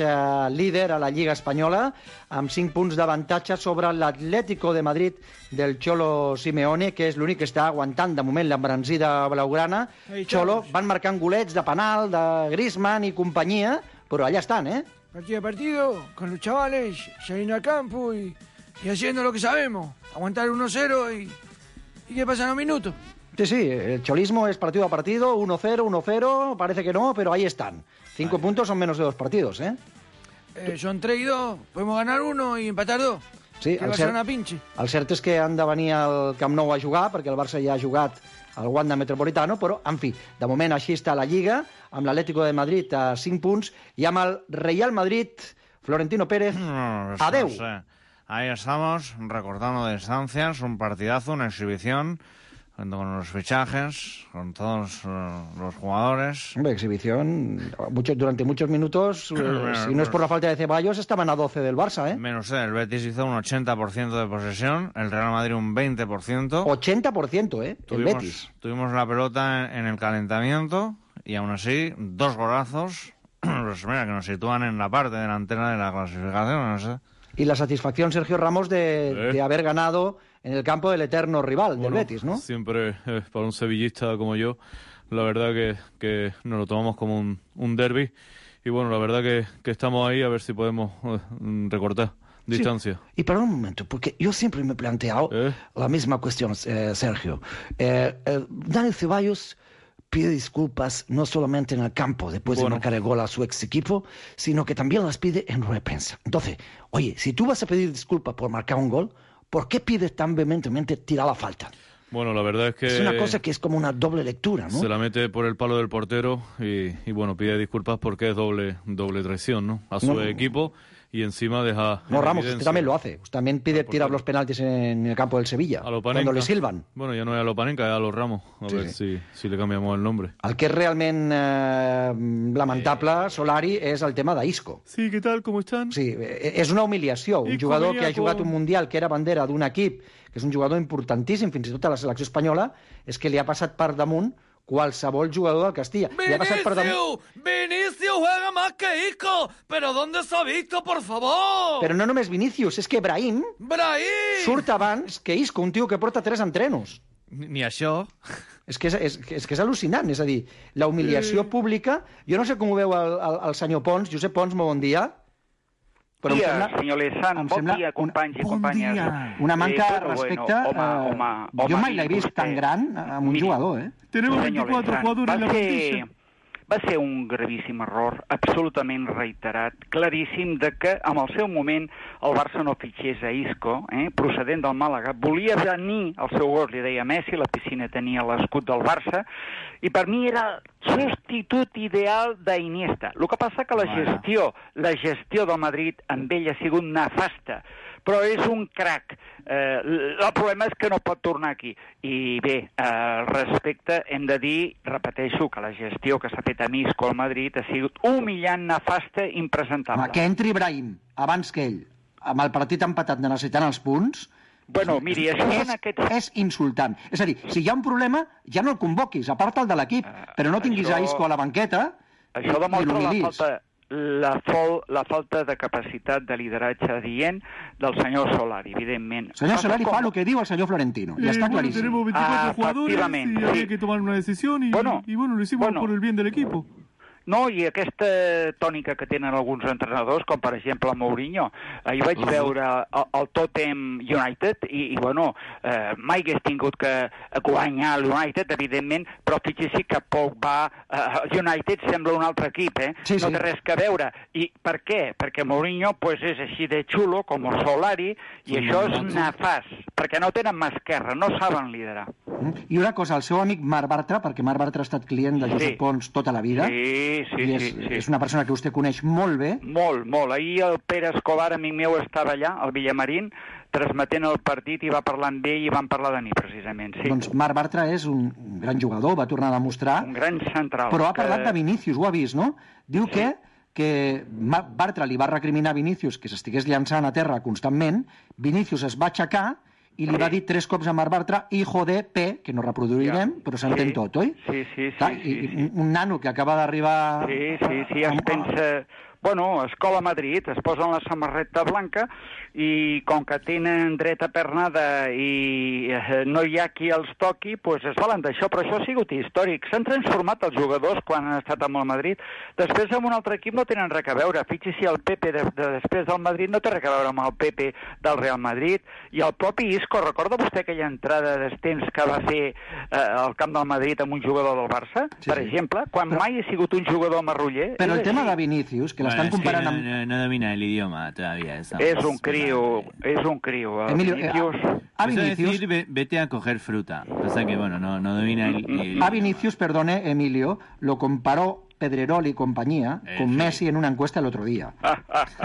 líder a la Lliga Espanyola amb 5 punts d'avantatge sobre l'Atlético de Madrid del Cholo Simeone, que és l'únic que està aguantant de moment l'embranzida blaugrana. Cholo, van marcant golets de penal, de Griezmann i companyia, però allà estan, ¿eh? Partido a partido, con los chavales, saliendo al campo y haciendo lo que sabemos. Aguantar 1-0 y que pasan los minutos. Sí, el cholismo es partido a partido, 1-0, 1-0, parece que no, pero ahí están. 5 puntos son menos de 2 partidos, ¿eh? Son 3 y 2, podemos ganar 1 i empatar 2. Sí, que va ser una pinche. El cert és que han de venir al Camp Nou a jugar, perquè el Barça ja ha jugat al Wanda Metropolitano, però, en fi, de moment així està la Lliga, amb l'Atlético de Madrid a 5 punts, i amb el Real Madrid, Florentino Pérez, adeu. No sé. Ahí estamos, recortando distancias, un partidazo, una exhibición, junto con los fichajes, con todos los jugadores. Hombre, exhibición, durante muchos minutos, si no es por la falta de Ceballos, estaban a 12 del Barça, ¿eh? Menos el Betis hizo un 80% de posesión, el Real Madrid un 20%. 80%, ¿eh? El Betis. Tuvimos la pelota en el calentamiento y aún así, 2 golazos, pues mira, que nos sitúan en la parte delantera de la clasificación, no sé. Y la satisfacción, Sergio Ramos, de haber ganado en el campo del eterno rival, del Betis, ¿no? Siempre, para un sevillista como yo, la verdad que nos lo tomamos como un derbi. Y bueno, la verdad que estamos ahí a ver si podemos recortar distancia. Sí. Y para un momento, porque yo siempre me he planteado la misma cuestión, Sergio. Dani Ceballos pide disculpas no solamente en el campo después de marcar el gol a su ex equipo, sino que también las pide en rueda de prensa. Entonces, oye, si tú vas a pedir disculpas por marcar un gol, ¿por qué pides tan vehementemente tirar la falta? Bueno, la verdad es que... Es una cosa que es como una doble lectura, ¿no? Se la mete por el palo del portero y bueno, pide disculpas porque es doble traición, ¿no? A su equipo y encima deja... No, Ramos, usted también lo hace. Usted también pide tirar los penaltis en el campo del Sevilla, cuando le silban. Bueno, ya no es a Lopanenka, es a los Ramos. A ver si le cambiamos el nombre. El que és realment lamentable, Solari, és el tema d'Isco. Sí, què tal, com estan? Sí, és una humiliació. Un jugador que ha jugat un Mundial, que era bandera d'un equip, que és un jugador importantíssim, fins i tot a la selecció espanyola, és que li ha passat per damunt qualsevol jugador del Castilla. ¡Vinicius juega más que Isco! ¿Pero dónde se ha visto, por favor? Però no només Vinicius, és que Brahim surt abans que Isco, un tio que porta 3 entrenos. Ni això. És que és al·lucinant, és a dir, la humiliació pública... Jo no sé com ho veu el senyor Pons, Josep Pons, molt bon dia. Bon dia, senyor Lezán, bon dia, companys i companyes. Una manca de respecte... Jo mai l'he vist tan gran amb un jugador, eh? Tenemos 24 jugadores en la plantilla. Va ser un gravíssim error, absolutament reiterat, claríssim, de que en el seu moment el Barça no fitxés a Isco, procedent del Màlaga. Volia venir el seu gol, li deia Messi, la piscina tenia l'escut del Barça, i per mi era substitut ideal d'Iniesta. El que passa que la gestió del Madrid amb ell ha sigut nefasta, però és un crac. El problema és que no pot tornar aquí. I bé, respecte, hem de dir, repeteixo, que la gestió que s'ha fet a Isco al Madrid ha sigut humillant, nefasta, impresentable. Que entri Brahim abans que ell, amb el partit empatat necessitant els punts... Bueno, miri, és insultant. És a dir, si hi ha un problema, ja no el convoquis, aparta'l de l'equip, però no tinguis a Isco a la banqueta i l'humilis. La falta de capacitat de lideratge adient del senyor Solari, evidentment. El senyor Solari fa el que diu el senyor Florentino, ja està claríssim. Tenemos 24 jugadores y había que tomar una decisión y bueno, lo hicimos por el bien del equipo. No, i aquesta tònica que tenen alguns entrenadors, com per exemple el Mourinho. Ahir vaig veure el Tottenham United i bueno, mai hagués tingut que guanyar l'United, evidentment, però fixi que Pogba, United sembla un altre equip, no té res que veure. I per què? Perquè Mourinho és així de xulo, com el Solari, i això és nefast, perquè no tenen mà esquerra, no saben liderar. I una cosa, el seu amic Marc Bartra, perquè Marc Bartra ha estat client de Josep Pons tota la vida, és una persona que vostè coneix molt bé. Molt. Ahir el Pere Escobar, amic meu, estava allà, al Villamarín, transmetent el partit i va parlar amb ell i van parlar de mi, precisament. Doncs Marc Bartra és un gran jugador, va tornar a demostrar. Un gran central. Però ha parlat de Vinícius, ho ha vist, no? Diu que Bartra li va recriminar a Vinícius que s'estigués llançant a terra constantment, Vinícius es va aixecar i li va dir 3 cops a Marc Bartra, hijo de P, que no reproduirem, però s'entén tot, oi? Sí. Un nano que acaba d'arribar... Sí, es pensa... Bueno, Escola Madrid, es posen la samarreta blanca i com que tenen dreta pernada i no hi ha qui els toqui, doncs es valen d'això, però això ha sigut històric. S'han transformat els jugadors quan han estat amb el Madrid. Després amb un altre equip no tenen res a veure. Fixi-s'hi, el Pepe després del Madrid no té res a veure amb el Pepe del Real Madrid. I el propi Isco, recorda vostè aquella entrada d'estens que va fer al camp del Madrid amb un jugador del Barça, per exemple, quan mai ha sigut un jugador marruller? Però el tema de Vinícius, que l'estan comparant amb... No domina el idioma todavía. Es un crío. Emilio, a Vinicius... Vete a coger fruta. Pasa que, bueno, no domina el... A Vinicius, perdone, Emilio, lo comparó Pedrerol y compañía con Messi en una encuesta el otro día.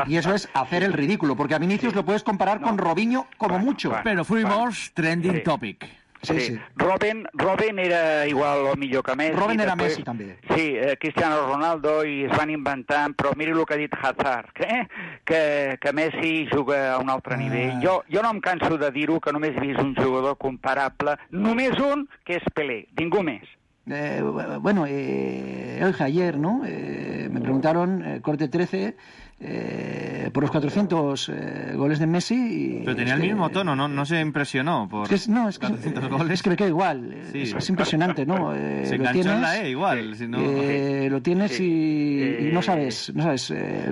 Y eso es hacer el ridículo, porque a Vinicius lo puedes comparar con Robinho como mucho. Pero fuimos trending topic. Sí. Robin era igual o millor que Messi. Robin era Messi, també. Sí, Cristiano Ronaldo, i es van inventant, però miri el que ha dit Hazard, que Messi juga a un altre nivell. Jo no em canso de dir-ho, que només he vist un jugador comparable, només un, que és Pelé, ningú més. Bueno, ayer, ¿no? Me preguntaron, corte 13, por los 400 goles de Messi. Y pero tenía el mismo tono, no se impresionó por 400 goles. Es que me queda igual, sí. Es impresionante, ¿no? Se enganchó en la E igual. Si no... lo tienes y no sabes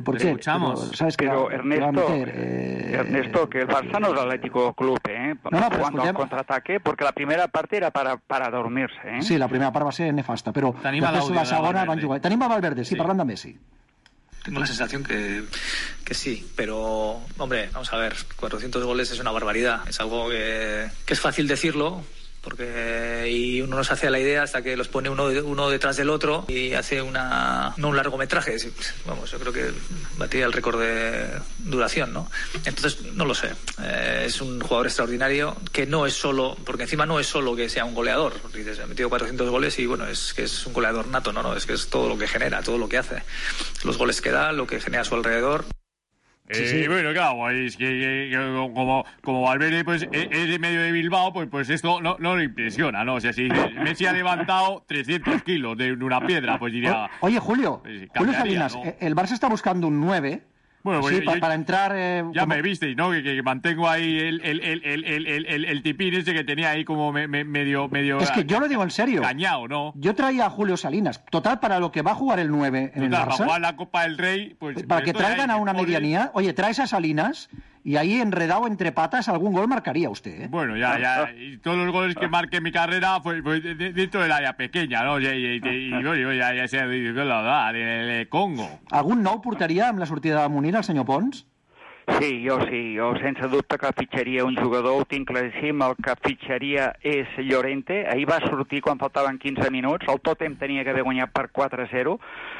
por qué. Escuchamos. Pero Ernesto, que el Barça no es Atlético Club, cuando al contraataque, porque la primera parte era para dormirse, Sí, la primera parte va a ser nefasta, però després la segona van jugar. Tenim a Valverde, sí, parlant de Messi. Tengo la sensación que sí, pero, hombre, vamos a ver, 400 goles es una barbaridad. Es algo que es fácil decirlo, y uno no se hace a la idea hasta que los pone uno detrás del otro y hace no un largometraje. Vamos, yo creo que batiría el récord de duración, ¿no? Entonces, no lo sé. Es un jugador extraordinario que no es solo, porque encima no es solo que sea un goleador. Dices, ha metido 400 goles y, bueno, es que es un goleador nato, ¿no? Es que es todo lo que genera, todo lo que hace. Los goles que da, lo que genera a su alrededor. Sí. Bueno, claro, es que como Valverde pues, es de medio de Bilbao, pues esto no le impresiona, ¿no? O sea, si Messi ha levantado 300 kilos de una piedra, pues diría... Oye, Julio Salinas, ¿no? El Barça está buscando un 9... Bueno, pues sí, para entrar... ya me visteis, ¿no? Que mantengo ahí el tipín ese que tenía ahí como medio... Es que yo lo digo en serio. Cañao, ¿no? Yo traía a Julio Salinas. Total, para lo que va a jugar el 9 en el Barça... Para jugar la Copa del Rey... Pues para que traigan a una medianía... Oye, traes a Salinas... Y ahí, enredado entre patas, algún gol marcaría usted, ¿eh? Bueno, ya. Y todos los goles que marque en mi carrera pues dentro del área pequeña, ¿no? Y ya sea de Congo. Algun nou portaria amb la sortida de Munir, el senyor Pons? Sí, jo sense dubte que fitxaria un jugador, ho tinc claríssim, el que fitxaria és Llorente. Ahir va sortir quan faltaven 15 minuts, el Tottenham tenia que haver guanyat per 4-0.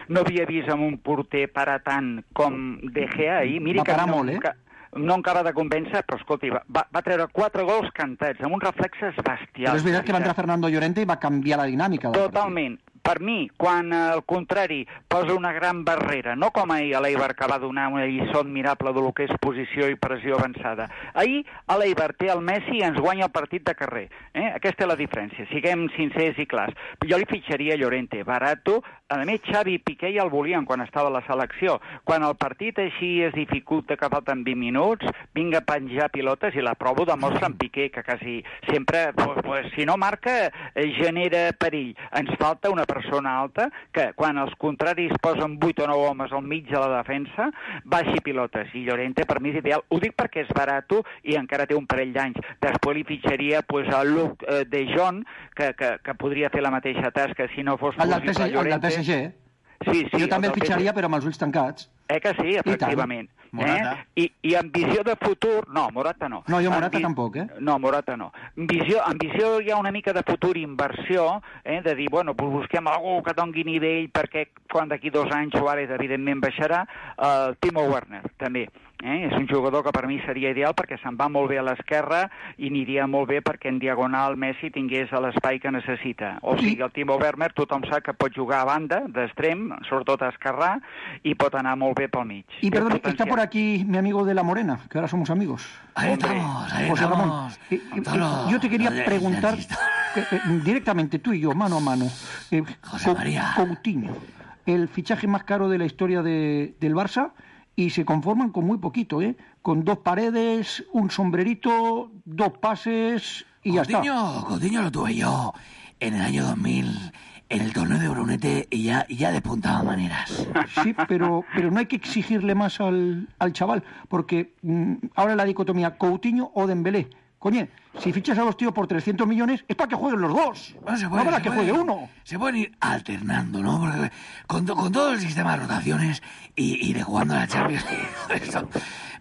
No havia vist amb un porter parar tant com De Gea ahir. Miri va parar molt, eh? No em acaba de convèncer, però escolti, va treure 4 gols cantats, amb uns reflexes bestials. Però és veritat que va entrar Fernando Llorente i va canviar la dinàmica del Totalment. Partit. Per mi, quan al contrari posa una gran barrera, no com ahir a l'Eibar que va donar una lliçó admirable de lo que és posició i pressió avançada. Ahir a l'Eibar té el Messi i ens guanya el partit de carrer. Aquesta és la diferència, siguem sincers i clars. Jo li fitxaria Llorente, barato. A més, Xavi i Piqué ja el volien quan estava a la selecció. Quan el partit així es dificulta, que falten 20 minuts, vinga a penjar pilotes i la prova demostra en Piqué, que quasi sempre, si no marca, genera perill. Ens falta una persona alta que quan els contraris posen 8 o 9 homes al mig de la defensa baixi pilotes, i Llorente per mi és ideal. Ho dic perquè és barato i encara té un parell d'anys. Després li fitxaria a Luc de Jong, que podria fer la mateixa tasca si no fos possible Llorente. El del PSG. Sí, jo també el fitxaria, però amb els ulls tancats. Que sí, efectivament. I amb visió de futur... No, Morata no. No, jo Morata tampoc, No, Morata no. En visió hi ha una mica de futur, inversió, de dir, bueno, pues busquem algú que doni nivell perquè quan d'aquí 2 anys Suárez evidentment baixarà, Timo Werner, també. És un jugador que per mi seria ideal perquè se'n va molt bé a l'esquerra i aniria molt bé perquè en diagonal Messi tingués l'espai que necessita. O sigui, el Timo Werner tothom sap que pot jugar a banda, d'extrem, sobretot a esquerrà, i pot anar molt bé pel mig. Y perdón, está por aquí mi amigo de La Morena, que ahora somos amigos. Ahí estamos, José Ramón. Yo te quería preguntar directamente, tú y yo, mano a mano. José María. Coutinho, el fichaje más caro de la historia del Barça, y se conforman con muy poquito, con 2 paredes, un sombrerito, 2 pases y ya está. Coutinho lo tuve yo en el año 2000, en el torneo de Brunete, y ya despuntaba maneras. Sí, pero no hay que exigirle más al chaval, porque ahora la dicotomía Coutinho o Dembélé. Coño, si fichas a los tíos por 300 millones, es para que jueguen los dos. No para que juegue uno. Se pueden ir alternando, ¿no? Porque con todo el sistema de rotaciones y de jugando a la Champions.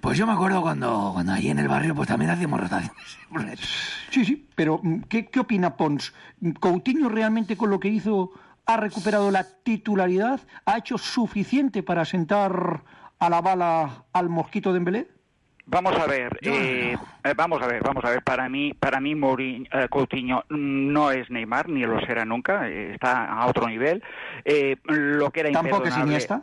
Pues yo me acuerdo cuando allí en el barrio pues también hacíamos rotaciones. Sí, pero ¿qué opina Pons? ¿Coutinho realmente con lo que hizo ha recuperado la titularidad? ¿Ha hecho suficiente para sentar a la bala al mosquito Dembélé? Vamos a ver, vamos a ver. Para mí Coutinho no es Neymar, ni lo será nunca, está a otro nivel. Lo que era ¿Tampoco es Iniesta?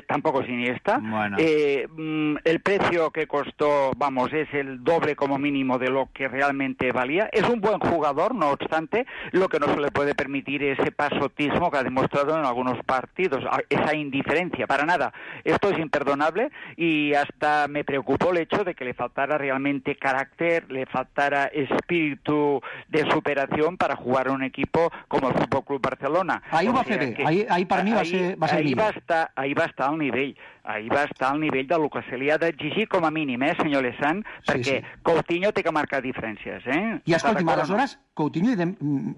Tampoco es Iniesta. Bueno. El precio que costó, es el doble como mínimo de lo que realmente valía. Es un buen jugador, no obstante, lo que no se le puede permitir es ese pasotismo que ha demostrado en algunos partidos, esa indiferencia, para nada. Esto es imperdonable y hasta me preocupó el hecho de que le faltara realmente carácter, le faltara espíritu de superación para jugar en un equipo como el Fútbol Club Barcelona. Ahí va ahí para mí va a ser ahí va estar al nivell de lo que se li ha d'exigir com a mínim, senyor Lezán, perquè Coutinho té que marcar diferències, I escolti'm, aleshores,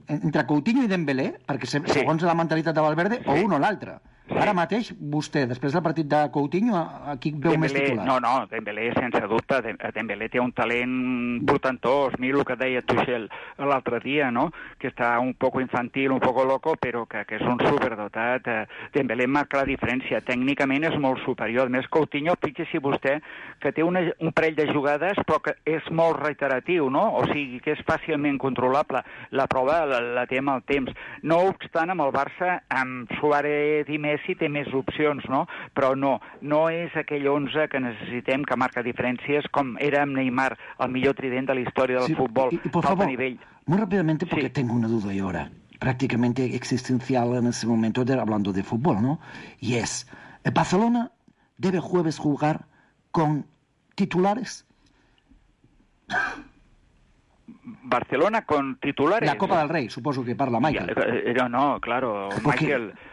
entre Coutinho i Dembélé, perquè segons la mentalitat de Valverde, o un o l'altre. Ara mateix, vostè, després del partit de Coutinho, aquí veu més titular. No, Dembélé, sense dubte, Dembélé té un talent portentós. Mira el que deia Tuchel l'altre dia, no? Que està un poco infantil, un poco loco, però que és un superdotat. Dembélé marca la diferència. Tècnicament és molt superior. A més, Coutinho, fixi-s'hi vostè, que té un parell de jugades, però que és molt reiteratiu, no? O sigui, que és fàcilment controlable. La prova la té amb el temps. No obstant, amb el Barça, amb Suárez i Messi, té més opcions, no? Però no és aquell 11 que necessitem que marca diferències com era amb Neymar, el millor trident de la història del futbol. Y por favor, muy rápidamente, porque tengo una duda yo ahora, prácticamente existencial en ese momento, hablando de fútbol, ¿no? Y es, ¿Barcelona debe jueves jugar con titulares? Barcelona con titulares. La Copa del Rey, supongo que parla Michael. No, claro.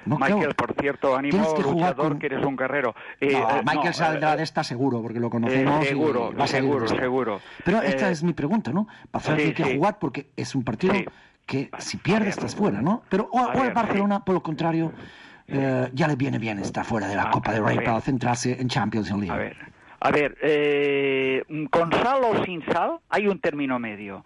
Michael, por cierto, ánimo luchador, que eres un guerrero. Michael saldrá de esta seguro, porque lo conocemos. Seguro. Pero esta es mi pregunta, ¿no? Barcelona tiene que jugar porque es un partido que si pierdes estás fuera, ¿no? Pero o el Barcelona, por lo contrario, ya le viene bien estar fuera de la Copa del Rey para centrarse en Champions League. A ver, con sal o sin sal hay un término medio.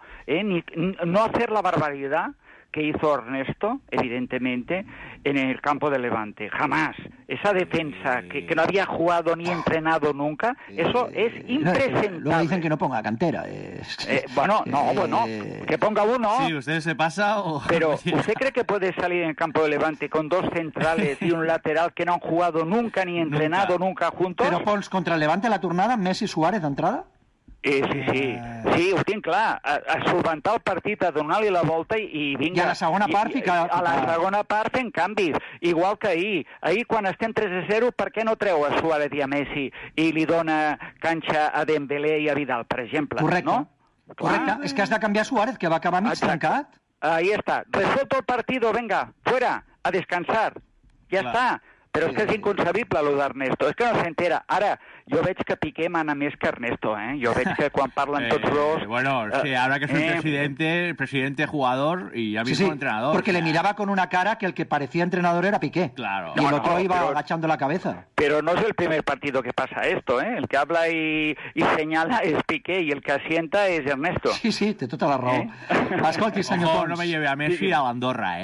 No hacer la barbaridad que hizo Ernesto, evidentemente, en el campo de Levante. Jamás. Esa defensa que no había jugado ni entrenado nunca, eso es impresentable. Luego dicen que no ponga cantera. Bueno, que ponga uno. Sí, usted se pasa o... Pero, ¿usted cree que puede salir en el campo de Levante con 2 centrales y un lateral que no han jugado nunca ni entrenado nunca juntos? Pero, Pons, contra el Levante la tornada, Messi Suárez d'entrada? Sí, ho tinc clar. A solventar el partit, a donar-li la volta i vinga. I a la segona part a la segona part fent canvis, igual que ahir. Ahir, quan estem 3-0, per què no treu a Suárez i a Messi i li dona canxa a Dembélé i a Vidal, per exemple? Correcte. ¿no? Correcte. És que has de canviar Suárez, que va acabar mig trencat. Ahí está. Resuelto el partido, venga, fuera, a descansar. Ja està. Però és que és inconcebible, lo d'Ernesto. És que no s'entera. Ara, jo veig que Piqué mana més que Ernesto, Jo veig que quan parlen tots dos... Bueno, sí, ahora que es el presidente jugador y ya mismo entrenador. Porque le miraba con una cara que el que parecía entrenador era Piqué. Claro. Y el otro iba agachando la cabeza. Pero no es el primer partido que pasa esto, El que habla y señala es Piqué y el que asienta es Ernesto. Sí, té tota la raó. Escolti, senyor Pons. No me lleve a Messi a l'Andorra,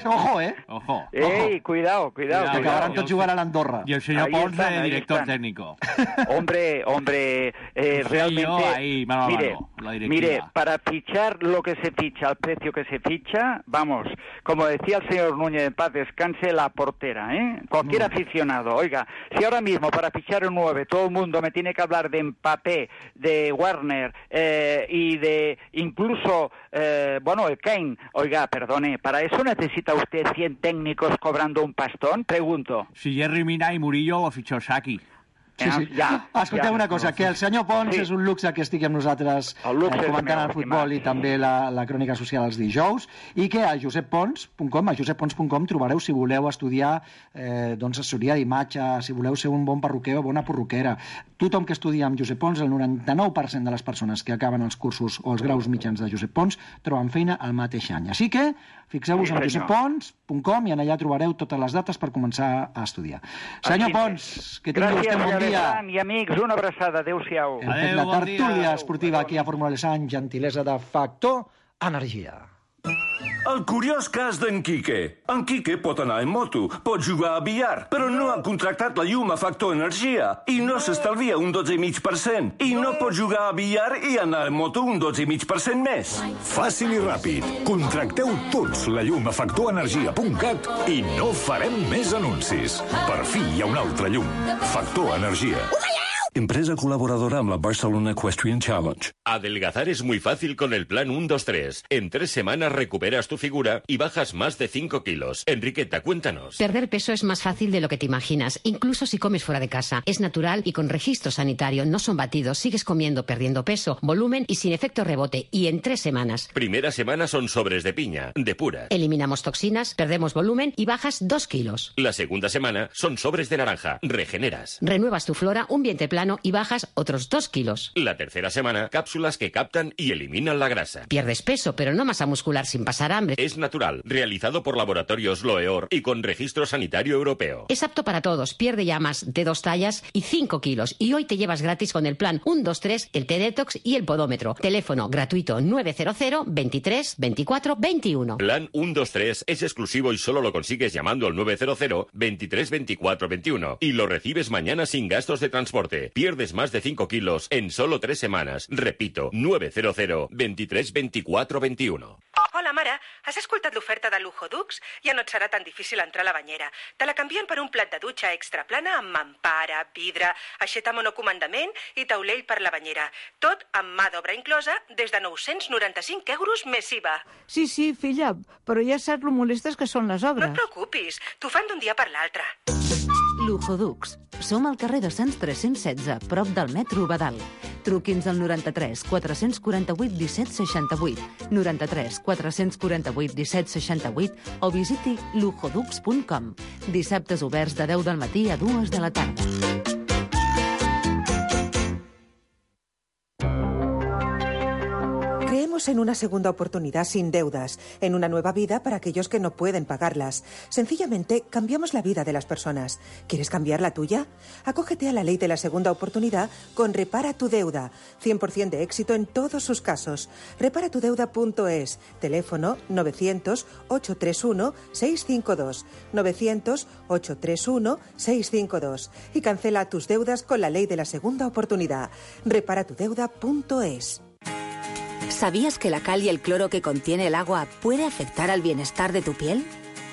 Ojo, Ojo. Ei, cuidao. Que acabaran tot jugar a l'Andorra. Y el señor Pons, director técnico. Hombre, realmente... Mire, para fichar lo que se ficha, al precio que se ficha, vamos, como decía el señor Núñez, en paz descanse, la portera, ¿eh? Cualquier aficionado, oiga, si ahora mismo para fichar un 9 todo el mundo me tiene que hablar de Mbappé, de Werner y de incluso, el Kane, oiga, perdone, ¿para eso necesita usted 100 técnicos cobrando un pastón? Pregunto. Si Jerry Mina y Murillo o fichó Saki. Sí. Escolteu una cosa, que el senyor Pons és un luxe que estigui amb nosaltres comentant el futbol i també la crònica social els dijous, i que a joseppons.com trobareu, si voleu estudiar assessoria d'imatge, si voleu ser un bon perruquer o bona perruquera. Tothom que estudia amb Josep Pons, el 99% de les persones que acaben els cursos o els graus mitjans de Josep Pons troben feina al mateix any. Així que fixeu-vos en joseppons.com i en allà trobareu totes les dates per començar a estudiar. Senyor Pons, que tingui vostè un bon dia. I amics, una abraçada, adéu-siau. Hem fet la tertúlia esportiva aquí a Fórmula Lesant, gentilesa de Factor Energia. El curiós cas d'en Quique. En Quique pot anar en moto, pot jugar a billar, però no ha contractat la llum a Factor Energia i no s'estalvia un 12,5%. I no pot jugar a billar i anar en moto un 12,5% més. Fàcil i ràpid. Contracteu tots la llum a factorenergia.cat i no farem més anuncis. Per fi hi ha un altre llum. Factor Energia. Empresa colaboradora amb la Barcelona Equestrian Challenge. Adelgazar es muy fácil con el plan 1-2-3. En 3 semanas recuperas tu figura y bajas más de 5 kilos. Enriqueta, cuéntanos. Perder peso es más fácil de lo que te imaginas, incluso si comes fuera de casa. Es natural y con registro sanitario, no son batidos. Sigues comiendo, perdiendo peso, volumen y sin efecto rebote. Y en 3 semanas. Primera semana son sobres de piña, de pura. Eliminamos toxinas, perdemos volumen y bajas 2 kilos. La segunda semana son sobres de naranja, regeneras. Renuevas tu flora, un vientre plano y bajas otros 2 kilos. La tercera semana, cápsulas que captan y eliminan la grasa. Pierdes peso, pero no masa muscular sin pasar hambre. Es natural, realizado por Laboratorios Loeor y con registro sanitario europeo. Es apto para todos, pierde ya más de 2 tallas y 5 kilos. Y hoy te llevas gratis con el plan 1-2-3, el T-Detox y el podómetro. Teléfono gratuito 900 23 24 21. Plan 1-2-3 es exclusivo y solo lo consigues llamando al 900 23 24 21. Y lo recibes mañana sin gastos de transporte. Pierdes más de 5 kilos en solo 3 semanas. Repito, 900 23 24 21. Hola, mare. Has escoltat l'oferta de Lujo Dux? Ja no et serà tan difícil entrar a la banyera. Te la canvien per un plat de dutxa extra plana amb mampara, vidre, aixeta monocomandament i taulell per la banyera. Tot amb mà d'obra inclosa des de 995 euros més IVA. Sí, filla, però ja saps lo molestes que són les obres. No et preocupis, t'ho fan d'un dia per l'altre. Lujo Dux. Som al carrer de Sants 316, prop del metro Badal. Truqui'ns al 93 448 17 68, 93 448 17 68 o visiti lujodux.com. Dissabtes oberts de 10 del matí a 2 de la tarda. Creemos en una segunda oportunidad sin deudas, en una nueva vida para aquellos que no pueden pagarlas. Sencillamente, cambiamos la vida de las personas. ¿Quieres cambiar la tuya? Acógete a la ley de la segunda oportunidad con Repara tu Deuda. 100% de éxito en todos sus casos. Reparatudeuda.es. Teléfono 900-831-652. 900-831-652. Y cancela tus deudas con la ley de la segunda oportunidad. Reparatudeuda.es. ¿Sabías que la cal y el cloro que contiene el agua puede afectar al bienestar de tu piel?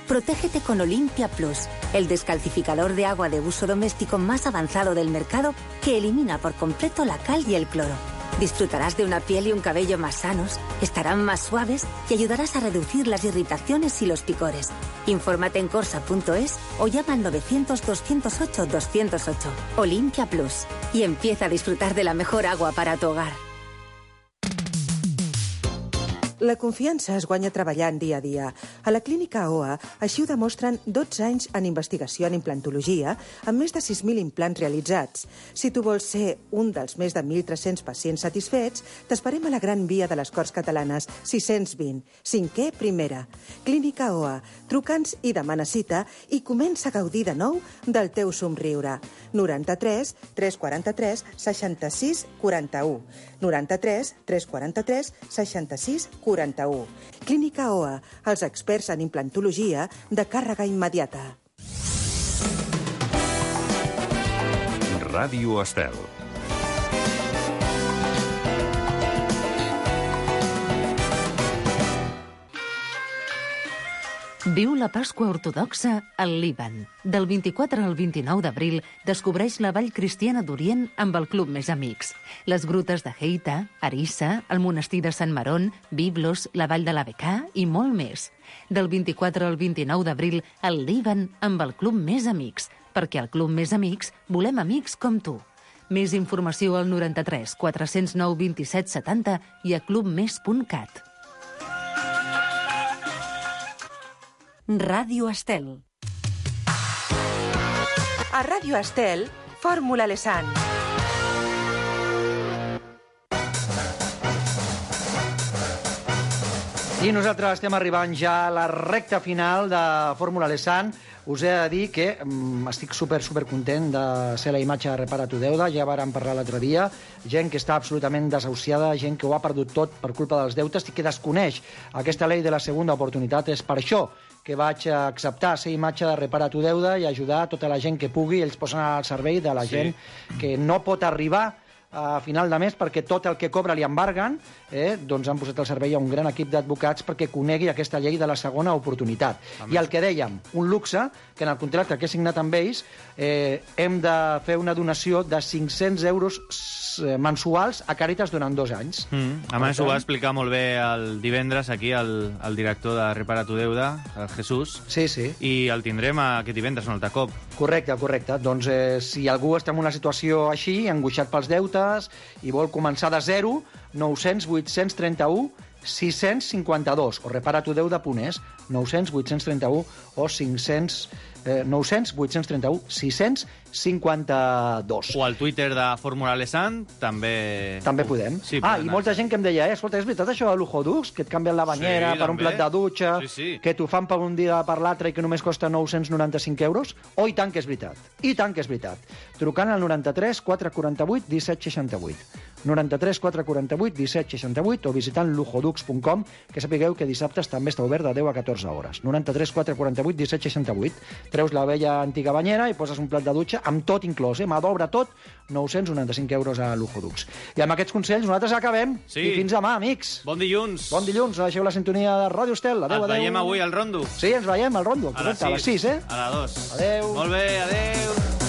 Protégete con Olimpia Plus, el descalcificador de agua de uso doméstico más avanzado del mercado que elimina por completo la cal y el cloro. Disfrutarás de una piel y un cabello más sanos, estarán más suaves y ayudarás a reducir las irritaciones y los picores. Infórmate en corsa.es o llama al 900-208-208. Olimpia Plus. Y empieza a disfrutar de la mejor agua para tu hogar. La confiança es guanya treballant dia a dia. A la clínica OA així ho demostren 12 anys en investigació en implantologia amb més de 6.000 implants realitzats. Si tu vols ser un dels més de 1.300 pacients satisfets, t'esperem a la Gran Via de les Corts Catalanes 620, 5è primera. Clínica OA. Truca'ns i demana cita i comença a gaudir de nou del teu somriure. 93 343 66 41. 93 343 66 41. Clínica OA, els experts en implantologia de càrrega immediata. Ràdio Estel. Viu la Pasqua ortodoxa al Líban. Del 24 al 29 d'abril descobreix la Vall Cristiana d'Orient amb el Club Més Amics. Les grutes de Heita, Arissa, el monestir de Sant Marón, Biblos, la Vall de la Becà i molt més. Del 24 al 29 d'abril al Líban amb el Club Més Amics, perquè al Club Més Amics volem amics com tu. Més informació al 93 409 27 70 i a clubmes.cat. Ràdio Estel. A Ràdio Estel, Fórmula Lesan. I nosaltres estem arribant ja a la recta final de Fórmula Lesan. Us he de dir que estic super content de ser la imatge de Repara tu Deuda. Ja vàrem parlar l'altre dia. Gent que està absolutament desahuciada, gent que ho ha perdut tot per culpa dels deutes i que desconeix aquesta llei de la segona oportunitat. És per això que vaig acceptar ser imatge de Repara tu Deuda i ajudar tota la gent que pugui. Ells posen al servei de la gent que no pot arribar a final de mes perquè tot el que cobra li embarguen, doncs han posat al servei a un gran equip d'advocats perquè conegui aquesta llei de la segona oportunitat. I el que dèiem, un luxe, que en el contracte que he signat amb ells hem de fer una donació de 500 euros mensuals a Càritas durant 2 anys. A més, ho va explicar molt bé el divendres aquí el director de Repara tu Deuda, el Jesús. Sí. I el tindrem aquest divendres un altre cop. Correcte. Doncs si algú està en una situació així, angoixat pels deutes, i vol començar de zero, 900 831 652 o reparatudeuda.es, 900 831 o 900 831 652. O al Twitter de Fórmula Lesan també podem. Sí, i molta gent que em deia, escolta, és veritat això de Luxodux, que et canvien la banyera per un plat de dutxa, que t'ho fan per un dia per l'altre i que només costa 995 euros? Oh, i tant que és veritat. I tant que és veritat. Trucant al 93 448 1768. 93 448 1768 o visitant luxodux.com, que sapigueu que dissabtes també està obert de 10 a 14 hores. 93 448 1768. Treus la vella antiga banyera i poses un plat de dutxa amb tot inclòs, mà d'obra tot, 995 euros a Luxodux. I amb aquests consells nosaltres acabem. I fins demà, amics. Bon dilluns. Bon dilluns, deixeu la sintonia de Ràdio Estel. Adéu, adéu. Ens veiem avui al Rondo. Sí, ens veiem al Rondo, correcte, a les 6, A les 2. Adéu. Molt bé, adéu.